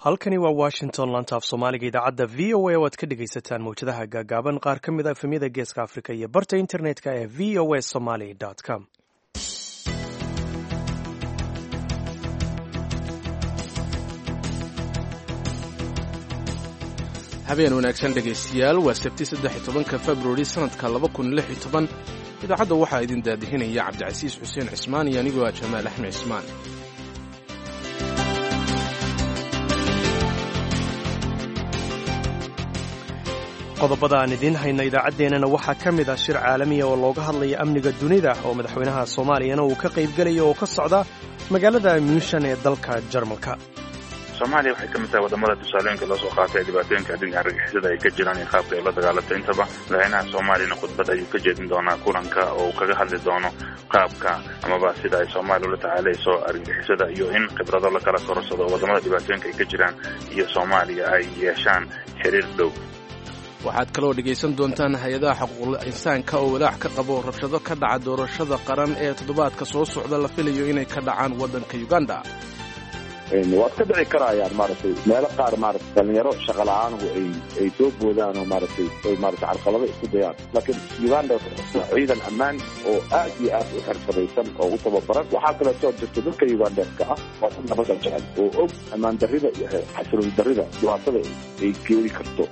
Halkani waa Washington, lantaaf Soomaaliga idaacadda VOA oo aad ka dhegaysataan mawjadaha gaagaaban, qaar ka mid a efemyada Geeska Afrika iyo barta internetka ee voasomali.com. Habeen wanaagsan, dhegaystayaal. Waa Sabti, 13-ka Februari, sanadka 2016. Idaacadda waxaa idin daadihinaya Cabdicasiis Xuseen Cismaan iyo anigoo ah Jamaal Axmed Cismaan. Qodobada aan idiin hayna idaacaddeenana waxaa ka mid ah shir caalamiya oo looga hadlaya amniga dunida oo madaxweynaha Soomaaliyana uu ka qaybgelaya oo ka socda magaalada Muushan ee dalka Jarmalka. Soomaaliya waxay ka mid tahay wadamada tusaalooyinka loo soo qaatay ee dhibaatooyinka dhinaca argagixisada ay ka jiraan iyo qaabka ay ula dagaalatay intaba. Madaxweynaha Soomaaliyana khudbad ayuu ka jeedin doonaa kulanka oo uu kaga hadli doono qaabka amaba sida ay Soomaaliya ula tacaalayso argagixisada iyo in khibrado la kala kororsado oo wadamada dhibaatooyinka ay ka jiraan iyo Soomaaliya ay yeeshaan xiriir dhow. Waxaad kaloo dhegaysan doontaan hay-adaha xuquuqul insaanka oo walaac ka qabo rabshado ka dhaca doorashada qaran ee toddobaadka soo socda la filayo inay ka dhacaan waddanka Uganda. Waad ka dhici karayaan, maaragtay, meelo qaar, maaragtay, dhalinyaro shaqa la-aanhu ay soo boodaan oo, maaragtay, ay, maaragtay, carqalado isku dayaan, laakiin Uganda ciidan ammaan oo aad iyo aad u xirfadaysan oo u tababaran. Waxaa kaleetoo jirta dadka Ugandeska ah waa dad nabada jecel oo og ammaan darrida iyo xasiloon darrida dhibaatada ay keeni karto.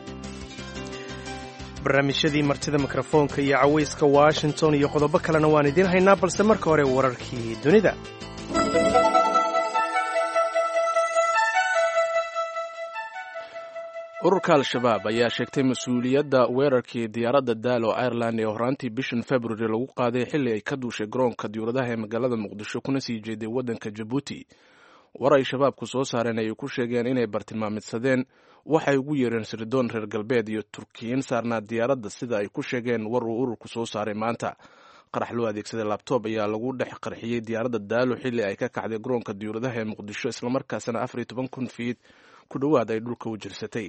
Barnaamijyadii martida mikrofoonka iyo cawayska Washington iyo qodobo kalena waan idiin haynaa, balse marka hore wararkii dunida. Ururka Al-Shabaab ayaa sheegtay mas-uuliyadda weerarkii diyaaradda Daalo Ireland ee horaantii bishan February lagu qaaday xilli ay ka duushay garoonka diyuuradaha ee magaalada Muqdisho kuna sii jeeday waddanka Jabuuti. War ay Shabaabku soo saareen ayay ku sheegeen inay bartilmaamidsadeen waxay ugu yeereen sirdoon reer galbeed iyo Turkiyiin saarnaa diyaaradda, sida ay ku sheegeen war uu ururku soo saaray maanta. Qarax loo adeegsaday labtoob ayaa lagu dhex qarxiyey diyaaradda Daalo xilli ay ka kacday garoonka diyuuradaha ee Muqdisho, islamarkaasna 14,000 fiid ku dhowaad ay dhulka u jirsatay.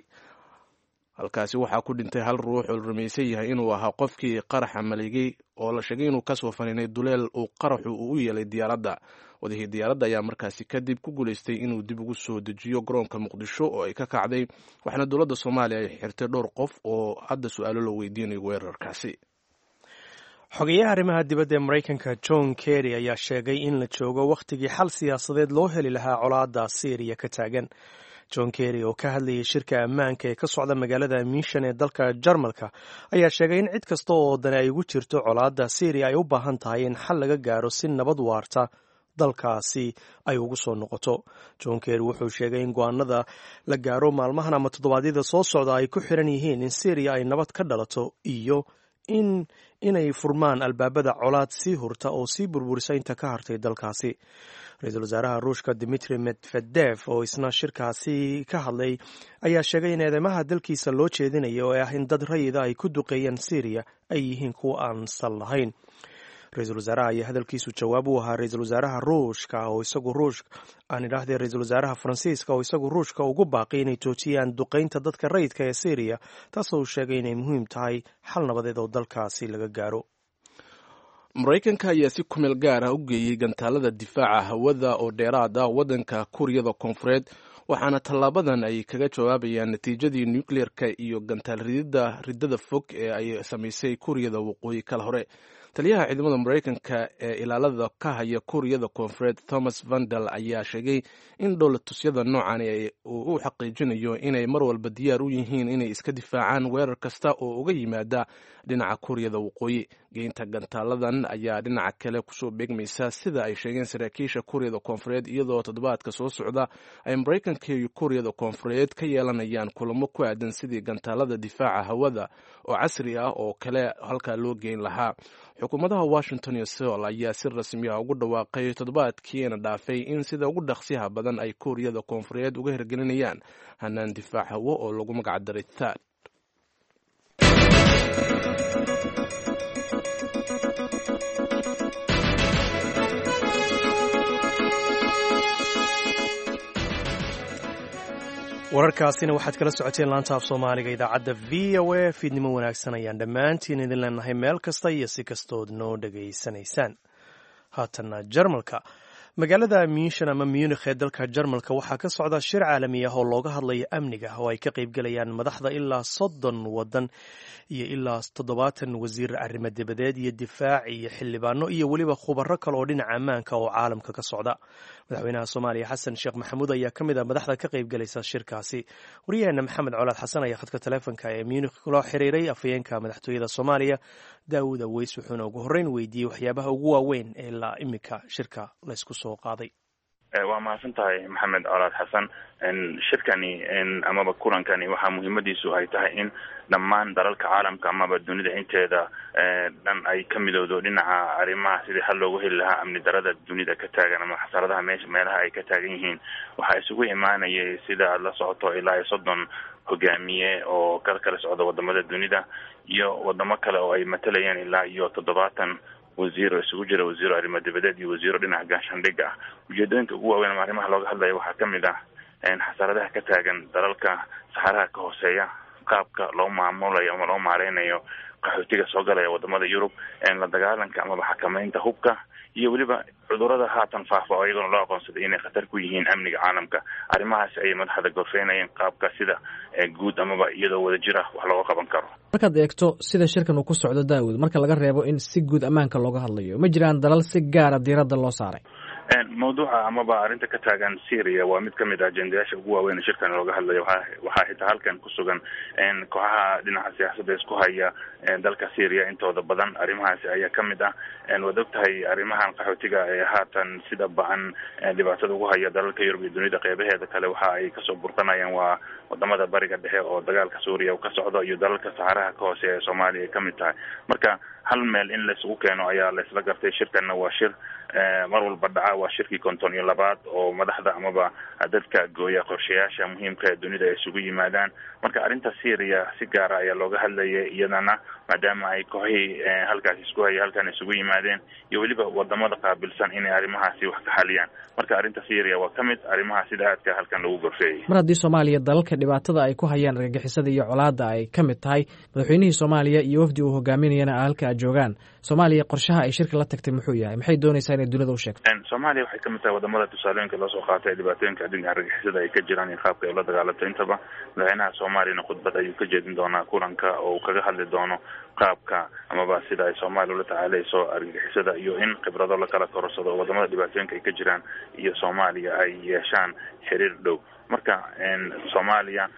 Halkaasi waxaa ku dhintay hal ruux oo la rumaysan yahay inuu ahaa qofkii qaraxa maleegay oo la sheegay inuu kasoo faninay duleel uu qaraxu uu u yeelay diyaaradda. Wadihii diyaaradda ayaa markaasi kadib ku guulaystay inuu dib ugu soo dejiyo garoonka Muqdisho oo ay ka kacday, waxaana dowladda Soomaaliya ay xirtay dhowr qof oo hadda su-aalo loo weydiinayo weerarkaasi. Xogeyaha arrimaha dibadda ee Maraykanka John Kerry ayaa sheegay in la joogo wakhtigii xal siyaasadeed loo heli lahaa colaadda Siiriya ka taagan. John Kerry oo ka hadlayay shirka ammaanka ee ka socda magaalada Miishan ee dalka Jarmalka ayaa sheegay in cid kasta oo dani ay ugu jirto colaadda Siiriya ay u baahan tahay in xal laga gaaro si nabad waarta dalkaasi ay ugu soo noqoto. John Kerry wuxuu sheegay in go-aanada la gaaro maalmahan ama toddobaadyada soo socda ay ku xiran yihiin in Siiriya ay nabad ka dhalato iyo in inay furmaan albaabada colaad sii hurta oo sii burburisa inta ka hartay dalkaasi. Ra-iisul wasaaraha Ruushka Dimitri Medvedev oo isna shirkaasi ka hadlay ayaa sheegay in eedeymaha dalkiisa loo jeedinayo ee ah in dad rayida ay ku duqeeyeen Syriya ay yihiin kuwa aan sal lahayn. Ra-iisul wasaaraha ayaa hadalkiisu jawaab u ahaa ra-iisul wasaaraha Ruushka oo isagu Ruush aan idhaahdee ra-iisul wasaaraha Faransiiska oo isagu Ruushka ugu baaqay inay joojiyaan duqeynta dadka rayidka ee Syriya, taasoo uu sheegay inay muhiim tahay xal nabadeed oo dalkaasi laga gaaro. Maraykanka ayaa si kumeel gaar ah u geeyey gantaalada difaaca hawada oo dheeraad ah waddanka Kuuriyada Koonfureed, waxaana tallaabadan ay kaga jawaabayaan natiijadii nukleerka iyo gantaal ridida riddada fog ee ay samaysay Kuuriyada Waqooyi kala hore. Taliyaha ciidamada Maraykanka ee ilaalada ka haya Kuuriyada Koonfureed, Thomas Vandal, ayaa sheegay in dhowlatusyada noocan uu u xaqiijinayo inay mar walba diyaar u yihiin inay iska difaacaan weerar kasta oo uga yimaada dhinaca Kuuriyada Waqooyi. Geynta gantaaladan ayaa dhinaca kale kusoo beegmaysa, sida ay sheegeen saraakiisha Kuuriyada Koonfureed, iyadoo toddobaadka soo socda ay Maraykanka iyo Kuuriyada Koonfureed ka yeelanayaan kulamo ku aadan sidii gantaalada difaaca hawada oo casri ah oo kale halkaa loo geyn lahaa. Xukuumadaha Washington iyo Seol ayaa si rasmi ah ugu dhawaaqay toddobaadkiina dhaafay in sida ugu dhaqsiyaha badan ay Kuuriyada Koonfureed uga hirgelinayaan hanaan difaac hawo oo lagu magacdaray THAAD. Wararkaasina waxaad kala socoteen laanta af Soomaaliga idaacadda VOA. Fiidnimo wanaagsan ayaan dhammaantiin idin leenahay meel kasta iyo si kastood noo dhegaysanaysaan. Haatanna Jarmalka. Magaalada Munshan ama Munikh ee dalka Jarmalka waxaa ka socda shir caalami ah oo looga hadlayo amniga, oo ay ka qaybgalayaan madaxda ilaa 30 wadan iyo ilaa 70 wasiir arrimo dibadeed iyo difaac iyo xildhibaano iyo weliba khubaro kale oo dhinaca ammaanka oo caalamka ka socda. Madaxweynaha Soomaaliya Xasan Sheekh Maxamuud ayaa ka mid ah madaxda ka qaybgalaysa shirkaasi. Waryaheena Maxamed Colaad Xasan ayaa khadka taleefonka ee Munikh kula xiriiray afhayeenka madaxtooyada Soomaaliya Daawud Aweys, wuxuuna ugu horreyn weydiiyey waxyaabaha ugu waaweyn ee ilaa iminka shirka laysku soo qaaday. Waa mahadsan tahay, Maxamed Colaad Xasan. Shirkani amaba kulankani waxaa muhiimadiisu ay tahay in dhammaan dalalka caalamka amaba dunida inteeda dhan ay ka midowdo dhinaca arrimaha sidii xal loogu heli lahaa amni darada dunida ka taagan ama xasaradaha meesha meelaha ay ka taagan yihiin. Waxaa isugu imaanayay, sida aad la socoto, ilaa iyo 30 hogaamiye oo kala kala socda wadamada dunida iyo wadamo kale oo ay matalayeen ilaa iyo 70 wasiir oo isugu jira wasiiro arrimo dibadeed iyo wasiiro dhinaca gaashaandhigga ah. Ujeedooyinka ugu waaweyn ama arrimaha looga hadlaya waxaa ka mid ah xasaradaha ka taagan dalalka saxaraha ka hooseeya, qaabka loo maamulayo ama loo maareynayo qaxootiga soo galaya wadamada Yurub, la dagaalanka amaba xakameynta hubka, iyo weliba cudurada haatan faafa oo iyagona loo aqoonsaday inay khatar ku yihiin amniga caalamka. Arrimahaas ayay madaxda gorfeynayeen, qaabka sida guud amaba iyadoo wadajir ah wax looga qaban karo. Markaad eegto sida shirkan uu ku socdo, Daawud, marka laga reebo in si guud ammaanka looga hadlayo, ma jiraan dalal si gaara diiradda loo saaray? Mawduuca amaba arrinta ka taagan Syria waa mid kamid ah ajendayaasha ugu waaweyn ee shirkan looga hadlayo. Waxaa xitaa halkan ku sugan kooxaha dhinaca siyaasadda isku haya dalka Syria intooda badan. Arrimahaasi ayaa kamid ah. Waad og tahay, arrimahan qaxootiga ee haatan sida ba-an dhibaatada ugu haya dalalka Yurub iyo dunida qeybaheeda kale waxa ay kasoo burqanayaan waa wadamada Bariga Dhexe oo dagaalka Suuriya uu ka socdo iyo dalalka saxaraha ka hooseeya ee Soomaaliya ay kamid tahay. Marka hal meel in laisugu keeno ayaa laisla gartay. Shirkanna waa shir mar walba dhaca, waa shirkii 52aad oo madaxda amaba dadka gooya qorshayaasha muhiimka ee dunida ay isugu yimaadaan. Marka arrinta Syria si gaara ayaa looga hadlayay iyadana, maadaama ay kooxihii halkaasi isku haya halkan isugu yimaadeen iyo weliba wadamada qaabilsan inay arrimahaasi wax ka xaliyaan. Marka arrinta Syria waa ka mid arrimaha sida aadka halkan lagu gorfeeyay. Mar haddii Soomaaliya dalalka dhibaatada ay ku hayaan argagixisada iyo colaadda ay ka mid tahay, madaxweynihii Soomaaliya iyo wafdi uu hogaaminayana halka ay joogaan, Soomaaliya qorshaha ay shirka la tagtay muxuu yahay? Maxay doonaysaa inay dunida u sheegto? Soomaaliya waxay kamid tahay wadamada tusaalooyinka loo soo qaatay dhibaatooyinka dhinaca argagixisada ay ka jiraan iyo qaabka ay ula dagaalanto intaba. Madaxweynaha Soomaaliyana khudbad ayuu ka jeedin doonaa kulanka oo uu kaga hadli doono qaabka amaba sida ay Soomaaliya ula tacaalayso argagixisada iyo in khibrado lakala kororsado oo wadamada dhibaatooyinka ay ka jiraan iyo Soomaaliya ay yeeshaan xiriir dhow. Marka Soomaaliya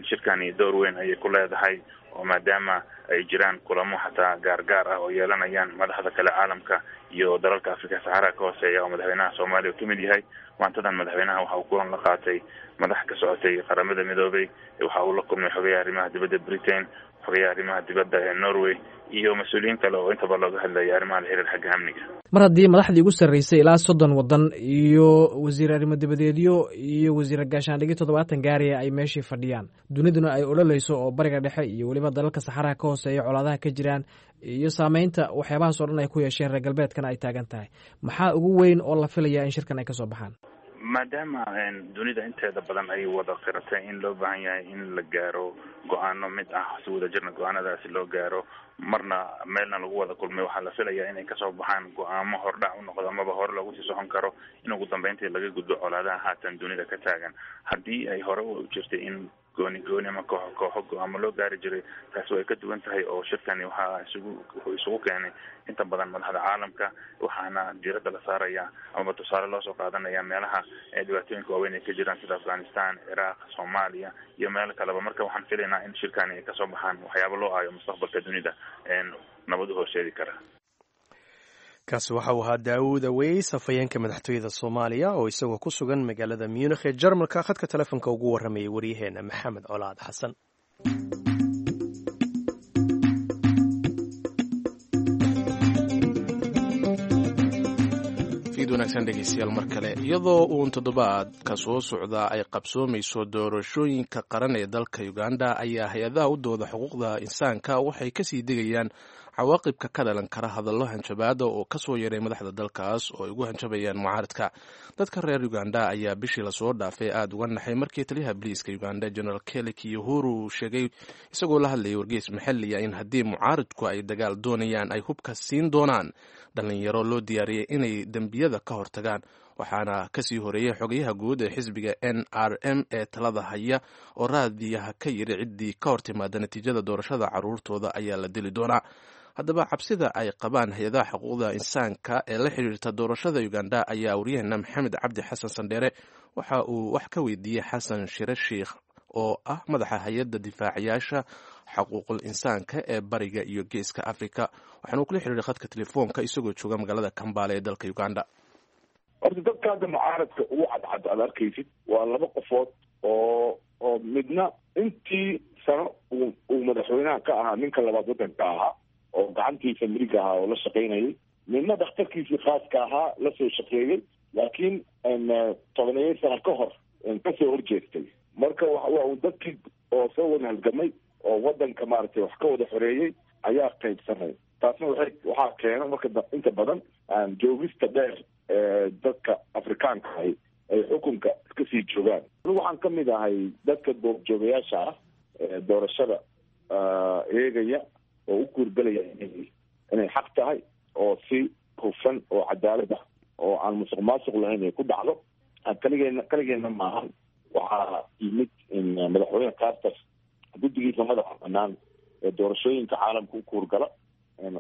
shirkani door weyn ayay ku leedahay, oo maadaama ay jiraan kulamo xataa gaargaar ah oo yeelanayaan madaxda kale caalamka iyo dalalka Afrika saxaraha ka hooseeya oo madaxweynaha Soomaaliya uu kamid yahay. Maantadan madaxweynaha waxa uu kulan la qaatay madax ka socotay Qaramada Midoobay, waxa uu la kulmay xogayaha arrimaha dibadda Britain, xogayaha arrimaha dibadda ee Norway iyo mas-uuliyiin kale oo intaba looga hadlaya arrimaha la xiriir xagga amniga. Mar haddii madaxdii ugu sarreysay ilaa 30 waddan iyo wasiir arrimo dibadeedyo iyo wasiir gaashaandhigyo 70 gaariya ay meeshii fadhiyaan, duniduna ay ololeyso oo Bariga Dhexe iyo weliba dalalka saxaraha ka hooseeya colaadaha ka jiraan iyo saameynta waxyaabahaas oo dhan ay ku yeesheen reer galbeedkana ay taagan tahay, maxaa ugu weyn oo la filayaa in shirkan ay kasoo baxaan? Maadaama dunida inteeda badan ay wada qiratay in loo baahan yahay in la gaaro go-aano mid ah, si wadajirna go-aanadaasi loo gaaro, marna meelna lagu wada kulmay, waxaa la filayaa inay kasoo baxaan go-aamo hordhac u noqdo amaba hore loogu sii socon karo in ugu dambeyntii laga gudbo colaadaha haatan dunida ka taagan. Haddii ay hore u jirtay in gooni gooni ama kooxo kooxo go-aamo loo gaari jiray, taasi way ka duwan tahay oo shirkani waxaa isugu wuxuu isugu keenay inta badan madaxda caalamka, waxaana diiradda la saaraya amaba tusaale loosoo qaadanaya meelaha dhibaatooyinka waaweyn ay ka jiraan sida Afghanistan, Ciraaq, Soomaaliya iyo meelo kaleba. Marka waxaan filaynaa in shirkani ay kasoo baxaan waxyaabo loo aayo mustaqbalka dunida nabad u horseedi kara. Kaasi waxa uu ahaa Daawud Aweys, afhayeenka madaxtooyada Soomaaliya, oo isagoo ku sugan magaalada Munikh ee Jarmalka khadka telefoonka ugu warramayay waryaheena Maxamed Colaad Xasan. Fiid wanaagsan, dhegeystayaal, mar kale. Iyadoo uun toddobaadka soo socda ay qabsoomayso doorashooyinka qaran ee dalka Uganda, ayaa hay-adaha u dooda xuquuqda insaanka waxay kasii degayaan cawaaqibka ka dhalan kara hadallo hanjabaada oo kasoo yaray madaxda dalkaas oo ay ugu hanjabayaan mucaaradka. Dadka reer Uganda ayaa bishii lasoo dhaafay aada uga naxay markii taliyaha boliiska Uganda, General Kelly Kiyuhuru, sheegay isagoo la hadlayay wargeys maxalliya in haddii mucaaradku ay dagaal doonayaan ay hubka siin doonaan dhalinyaro loo diyaariyay inay dembiyada ka hortagaan. Waxaana kasii horeeyey xogayaha guud ee xisbiga NRM ee talada haya oo raadiyaha ka yiri ciddii ka hor timaada natiijada doorashada caruurtooda ayaa la dili doonaa. Haddaba, cabsida ay qabaan hay-adaha xuquuqda insaanka ee la xiriirta doorashada Uganda ayaa waryaheena Maxamed Cabdi Xasan Sandheere waxa uu wax ka weydiiyey Xasan Shire Sheikh oo ah madaxa hay-adda difaacayaasha xuquuqul insaanka ee Bariga iyo Geeska Africa, waxaana uu kula xiriiray khadka telefoonka isagoo jooga magaalada Kambale ee dalka Uganda. Horta dadka hadda mucaaradka ugu cadcad aad arkaysid waa laba qofood oo midna intii sano uu madaxweynaha ka ahaa ninka labaad waddanka ahaa oo gacantiisa mirig ahaa oo la shaqaynayay, midna dhakhtarkiisii khaaska ahaa la soo shaqeeyey, laakiin 10-eyo sano ka hor kasoo horjeestay. Marka waa uu dadkii oo soo wada halgamay oo waddanka maaragtay wax ka wada xoreeyey ayaa qaybsanay. Taasna waxaa keena marka inta badan joogista dheer ee dadka Afrikaanka ahi ay xukunka iska sii joogaan. Anigu waxaan ka mid ahay dadka goobjoogayaasha ah ee doorashada eegaya oo u kuurgelaya inay xaq tahay oo si hufan oo cadaalad ah oo aan musuq maasuq lahayn ay ku dhacdo. Kaligeena kaligeena maahan. Waxaa yimid madaxweyne Carter, guddigiisa madaxa banaan ee doorashooyinka caalamka u kuurgala,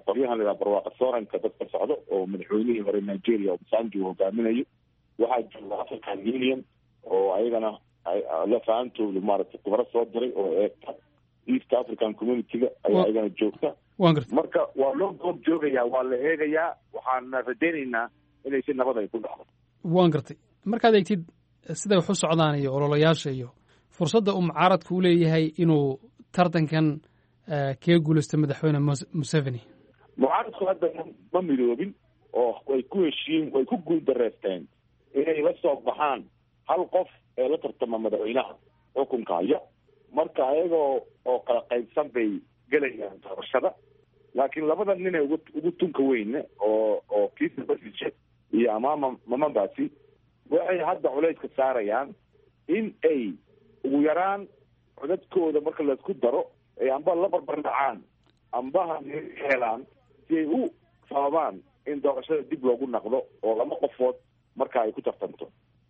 qolyahan la yidhaha barwaaqa sooranka dadka socdo oo madaxweynihii hore Nigeria Obasanjo uu hogaaminayo. Waxaa jooga African Union oo ayagana lafaantoodu maaragtay khubaro soo diray oo eegta. East African Community-ga ayaa ayagana joogta. Marka waa loo goob joogayaa, waa la eegayaa, waxaana rajaynaynaa inay si nabad ay ku dhacdo. Waan gartay. Markaad eegtid siday wax u socdaan iyo ololayaasha iyo fursadda uu mucaaradku u leeyahay inuu tartankan kaga guulaysto madaxweyne Museveni? Mucaaradku hadda ma midoobin oo way ku heshiin, way ku guul dareysteen inay la soo baxaan hal qof ee la tartama madaxweynaha xukunka haya. Marka ayagoo oo kala qaybsan bay gelayaan doorashada, laakiin labada nin ee ugu tunka weyne oo Kizza Besigye iyo Amama Mbabazi waxay hadda culayska saarayaan in ay ugu yaraan codadkooda marka laisku daro ay amba la barbar dhacaan ambaha helaan si ay u sababaan in doorashada dib loogu naqdo oo laba qofood marka ay ku tartanto.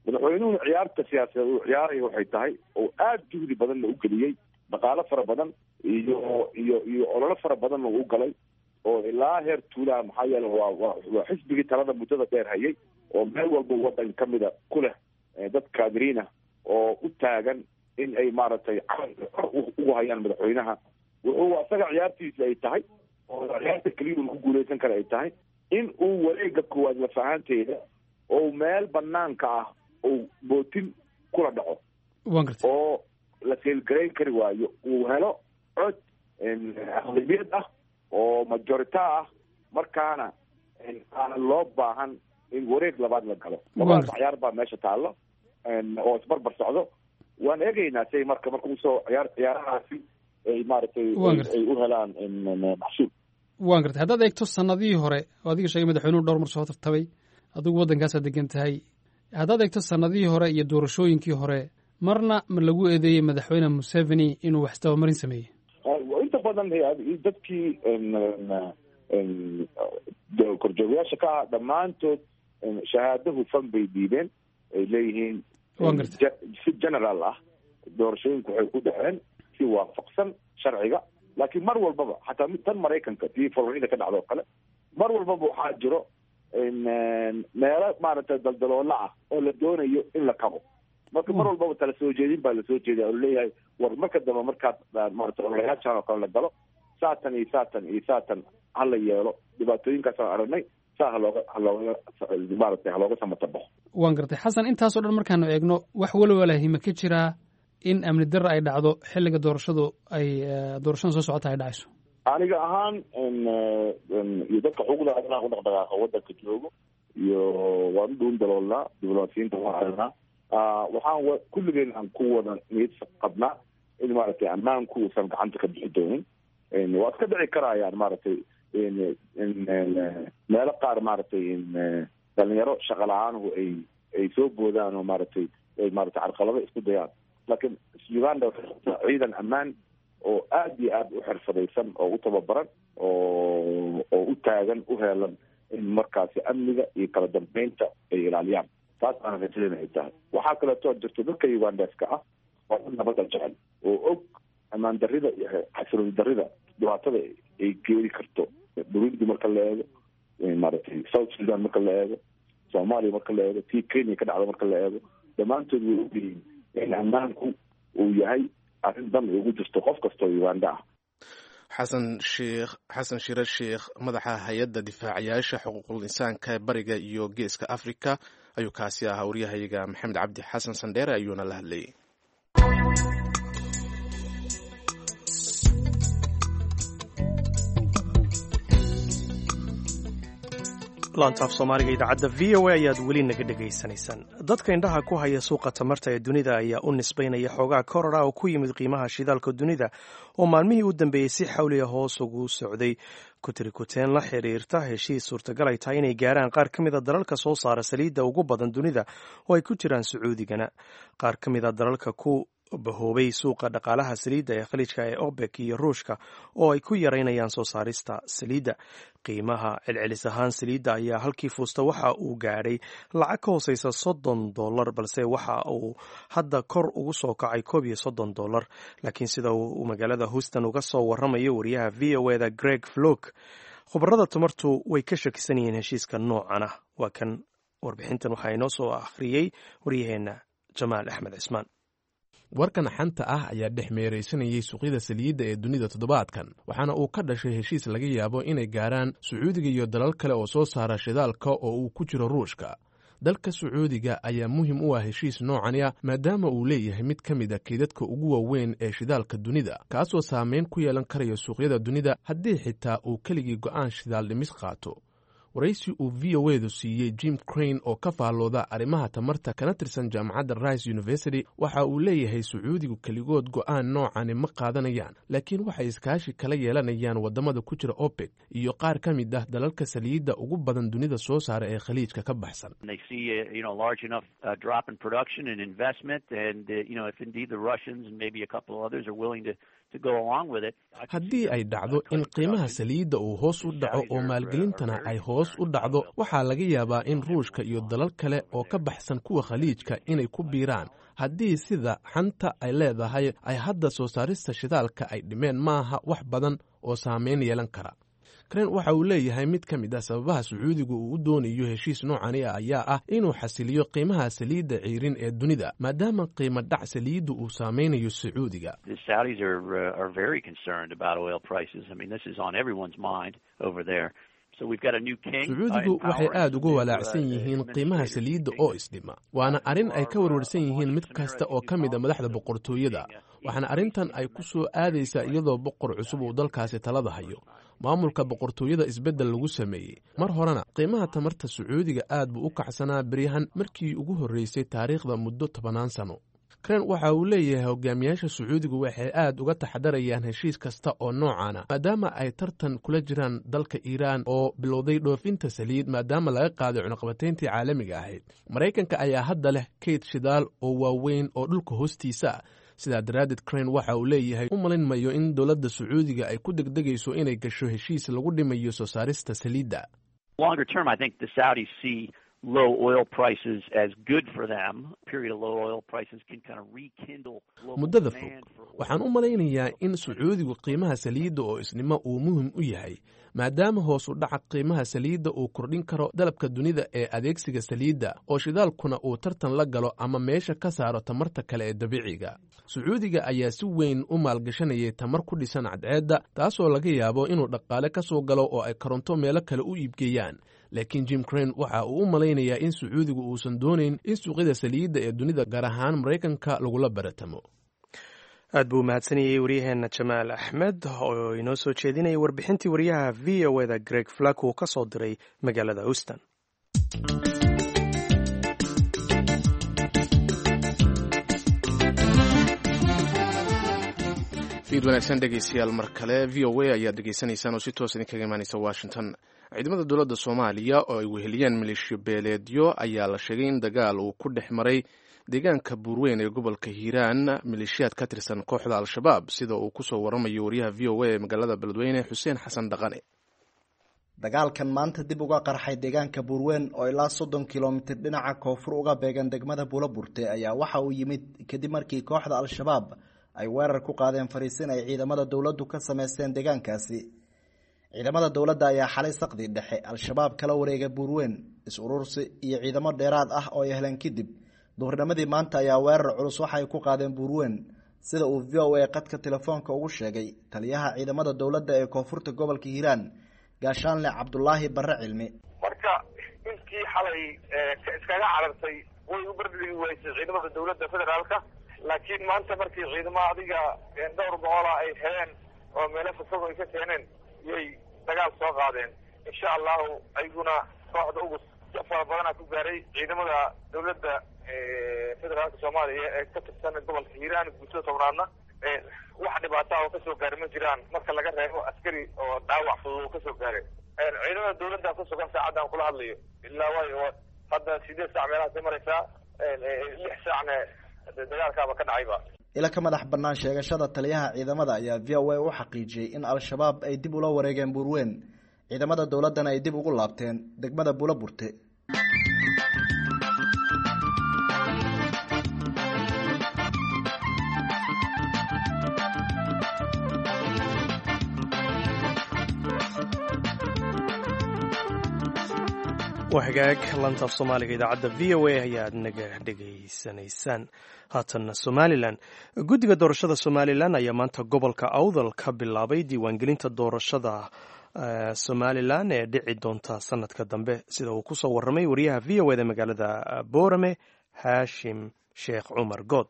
Madaxweynuhuna ciyaarta siyaasadeed uu ciyaaraya waxay tahay oo aada juhdi badanna u geliyey, dhaqaalo fara badan iyo ololo fara badanna uu galay oo ilaa heer tuulaha, maxaa yeele waa xisbigii talada muddada dheer hayay oo meel walba waddan ka mida ku leh dad kaadiriina oo u taagan in ay maaragtay calanka kor ugu hayaan madaxweynaha. Wuxuu asaga ciyaartiisa ay tahay oo ciyaarta keliya uu ku guuleysan kara ay tahay in uu wareega koowaad lafahaanteeda oo meel banaanka ah uu bootin kula dhaco oo la seelgarayn kari waayo, uu helo cod aqlabiyad ah oo majorita ah, markaana aanan loo baahan in wareeg labaad la galo. Labadaas ciyaar baa meesha taallo oo isbarbar socdo. Waan eegaynaa say marka usoo ciyaarahaasi ay maaragtay ay u helaan maxsuul. Waan gartay. Haddaad eegto sanadihii hore oo adiga sheegay madaxweynuhu dhowr mar soo tartamay, adigu waddankaasaad degan tahay, haddaad eegto sanadihii hore iyo doorashooyinkii hore, marna ma lagu eedeeyey madaxweyne Museveni inuu wax isdabamarin sameeyey? Inta badan dadkii korjoogayaasha ka ah dhammaantood shahaado hufan bay dhiibeen, ay leeyihiin si general ah doorashooyinku waxay ku dhaceen si waafaqsan sharciga. Laakiin mar walbaba, xataa mid tan Maraykanka tii Florida ka dhacdo o kale, mar walbaba waxaa jiro meelo maaragtay daldaloola ah oo la doonayo in la kabo. Marka mar walbaba tala soo jeedin baa lasoo jeediya oo laleeyahay, war marka dambe markaad maarata ololayaashan oo kale la galo, saatan iyo saatan iyo saatan hala yeelo, dhibaatooyinkaasaan aragnay, saa halooga maaragtay halooga samatabaxo. Waan gartay, Xasan. Intaasoo dhan markaanu eegno, wax walwalahima ka jiraa in amni darra ay dhacdo xilliga doorashadu ay doorashada soo socota ay dhacayso? Aniga ahaan iyo dadka xuquuqda aadanaha ku dhaqdhaqaaqa waddanka joogo iyo waan u dhuun daloolnaa, diblomaasiyiinta waan aragnaa, waxaan kulligeen aan ku wada niyad qabnaa in maaragtay ammaanku uusan gacanta ka bixi doonin. Waa iska dhici karayaan maaragtay meelo qaar maaragtay dhalinyaro shaqa la-aanhu ay soo boodaan oo maaragtay ay maaragtay carqalado isku dayaan, laakiin Uganda waxay qabtaa ciidan ammaan oo aada iyo aada u xirfadaysan oo u tababaran oo u taagan u heelan in markaasi amniga iyo kala dambeynta ay ilaaliyaan. Taas aana rajadeen ay tahay. Waxaa kaleetoo jirto dadka Ugandeska ah waa dad nabadda jecel oo og ammaan darrida iyo xasilooni darrida dhibaatada ay geeri karto. Burundi marka la eego, maaragtay South Sudan marka la eego, Soomaaliya marka la eego, tii Kenya ka dhacda marka la eego, dhammaantood way ogyihiin in ammaanku uu yahay arrin dan ay ugu jirto qof kastoo Uganda ah. Xasan Sheekh Xasan Shire Sheekh, madaxa hay-adda difaacayaasha xuquuqul insaanka ee bariga iyo geeska Africa ayuu kaasi ahaa. Waryahayaga Maxamed Cabdi Xasan Sandheere ayuuna la hadlayay. Laantaaf Soomaaliga idaacadda v o a ayaad weli naga dhegaysanaysaan. Dadka indhaha ku haya suuqa tamarta ee dunida ayaa u nisbaynaya xoogaa korora oo ku yimid qiimaha shidaalka dunida oo maalmihii u dambeeyey si xawliya hoos ugu socday kutirikuteen la xiriirta heshiis suurtagal ay tahay inay gaaraan qaar ka mida dalalka soo saara saliidda ugu badan dunida oo ay ku jiraan Sacuudigana. Qaar ka mida dalalka ku bahoobay suuqa dhaqaalaha saliidda ee Khaliijka ee OBEC iyo Ruushka oo ay ku yaraynayaan soo saarista saliidda. Qiimaha celcelis ahaan saliidda ayaa halkii fuusta waxa uu gaadhay lacag ka hooseysa $30, balse waxa uu hadda kor ugu soo kacay $31. Laakiin sida uu magaalada Houston uga soo waramayo wariyaha v o eda Greg Flok, khubarada tamartu way ka shakisan yihiin heshiiska noocan ah. Waa kan warbixintan, waxaa inoo soo akhriyey waryaheena Jamaal Axmed Cismaan. Warkan xanta ah ayaa dhex meeraysanayay suuqyada saliidda ee dunida toddobaadkan, waxaana uu ka dhashay heshiis laga yaabo inay gaaraan Sacuudiga iyo dalal kale oo soo saara shidaalka oo uu ku jiro Ruushka. Dalka Sacuudiga ayaa muhim u ah heshiis noocani ah, maadaama uu leeyahay mid ka mid a keydadka ugu waaweyn ee shidaalka dunida, kaasoo saameyn ku yeelan karaya suuqyada dunida haddii xitaa uu keligii go'aan shidaal dhimis qaato. Waraysi uu v o edu siiyey Jim Crane oo ka faallooda arrimaha tamarta kana tirsan jaamacadda Rice University, waxa uu leeyahay Sacuudigu keligood go'aan noocani ma qaadanayaan, laakiin waxay iskaashi kala yeelanayaan waddamada ku jira OPEC iyo qaar ka mid ah dalalka saliidda ugu badan dunida soo saara ee Khaliijka ka baxsan. Haddii ay dhacdo in qiimaha saliidda uu hoos u dhaco oo maalgelintana ay hoos u dhacdo, waxaa laga yaabaa in Ruushka iyo dalal kale oo ka baxsan kuwa Khaliijka inay ku biiraan. Haddii sida xanta ay leedahay ay hadda soo saarista shidaalka ay dhimeen, maaha wax badan oo saameyn yeelan kara. Karen waxa uu leeyahay mid ka mid ah sababaha Sacuudigu uu u doonayo heshiis noocani ah ayaa ah inuu xasiliyo qiimaha saliidda ciirin ee dunida, maadaama qiimo dhac saliiddu uu saameynayo Sacuudiga. Sacuudigu waxay aad uga walaacsan yihiin qiimaha saliidda oo isdhima, waana arrin ay ka warwarsan yihiin mid kasta oo ka mid a madaxda boqortooyada, waxaana arrintan ay ku soo aadaysaa iyadoo boqor cusub uu dalkaasi talada hayo, maamulka boqortooyada isbeddel lagu sameeyey. Mar horena qiimaha tamarta Sacuudiga aad buu u kacsanaa beryahan, markii ugu horreysay taariikhda muddo tobannaan sano. Karen waxa uu leeyahay hogaamiyaasha Sacuudigu waxay aad uga taxadarayaan heshiis kasta oo noocaana, maadaama ay tartan kula jiraan dalka Iiraan oo bilowday dhoofinta saliid maadaama laga qaaday cunuqabatayntii caalamiga ahayd. Maraykanka ayaa hadda leh kayd shidaal oo waaweyn oo dhulka hoostiisa ah. Sidaa daraaddeed, Crane waxa uu leeyahay u malin mayo in dowladda Sacuudiga ay ku degdegayso inay gasho heshiis lagu dhimayo soo saarista saliidda. Muddada fog, waxaan u malaynayaa in Sacuudigu qiimaha saliidda oo isnimo uu muhim u yahay, maadaama hoos u dhaca qiimaha saliidda uu kordhin karo dalabka dunida ee adeegsiga saliidda, oo shidaalkuna uu tartan la galo ama meesha ka saaro tamarta kale ee dabiiciga. Sacuudiga ayaa si weyn u maalgashanayay tamar ku dhisan cadceedda, taasoo laga yaabo inuu dhaqaale ka soo galo oo ay koronto meelo kale u iibgeeyaan. Laakiin Jim Crane waxa uu u malaynayaa in Sacuudigu uusan doonayn in suuqyada saliidda ee dunida, gaar ahaan Maraykanka, lagula baratamo. Aad buu mahadsanayey waryaheena Jamaal Axmed oo inoo soo jeedinayay warbixintii wariyaha v o eda Greg Flack uu ka soo diray magaalada Houston. Fiid wanaagsan dhegeystayaal, mar kale v o a ayaad dhegeysanaysaan oo si toos idinkaga imaaneysa Washington. Ciidamada dowladda Soomaaliya oo ay weheliyeen maleeshiyo beeleedyo ayaa la sheegay in dagaal uu ku dhex maray deegaanka Buurweyn ee gobolka Hiiraan maleeshiyaad ka tirsan kooxda Al-Shabaab, sida uu kusoo waramayo wariyaha v o a ee magaalada Beledweyne, Xuseen Xasan Dhaqane. Dagaalkan maanta dib uga qarxay deegaanka Buurweyn oo ilaa 30 kilomitir dhinaca koonfur uga beegan degmada Buulaburte ayaa waxa uu yimid kadib markii kooxda Al-Shabaab ay weerar ku qaadeen fariisin ay ciidamada dowladdu ka sameysteen deegaankaasi. Ciidamada dowladda ayaa xalay saqdi dhexe Al-Shabaab kala wareegay Buurweyn, is-urursi iyo ciidamo dheeraad ah oo ay heleen kadib. Duhurnimadii maanta ayaa weerar culus waxa ay ku qaadeen Buurweyn, sida uu VOA qadka telefoonka ugu sheegay taliyaha ciidamada dowladda ee koonfurta gobolka Hiiraan, Gaashaanle Cabdulaahi Barre Cilmi. Marka intii xalay iskaga carartay way u bardhigi waysay ciidamada dowladda federaalka, laakiin maanta markii ciidamo adiga dhowr boqola ay heleen oo meelo fogfog ay ka keeneen yay dagaal soo qaadeen. Insha allahu ayaguna kooxda ugu fara badana ku gaaray ciidamada dowladda federaalka Soomaaliya ee ka tirsan gobolka Hiiraan guutada 10aadna wax dhibaato ah oo kasoo gaaray ma jiraan, marka laga reebo askari oo dhaawac fudud oo kasoo gaaray. Ciidamada dowladda ku sugan saacaddan kula hadlayo ilaa waayo hadda 8 saac meelahaasay maraysaa, 6 saacna dagaalkaaba ka dhacayba. Ila ka madax bannaan sheegashada taliyaha ciidamada ayaa VOA u xaqiijiyey in Al-Shabaab ay dib ula wareegeen Buurweyn, ciidamada dowladdana ay dib ugu laabteen degmada Buulaburte. Waa hagaag, lanta af Soomaaliga idaacadda VOA ayaad naga dhegaysanaysaan. Haatanna Somalilan, guddiga doorashada Somalilan ayaa maanta gobolka Awdal ka bilaabay diiwaangelinta doorashada Somalilan ee dhici doonta sanadka dambe, sida uu kusoo warramay wariyaha VOA da magaalada Boorame, Haashim Sheekh Cumar Good.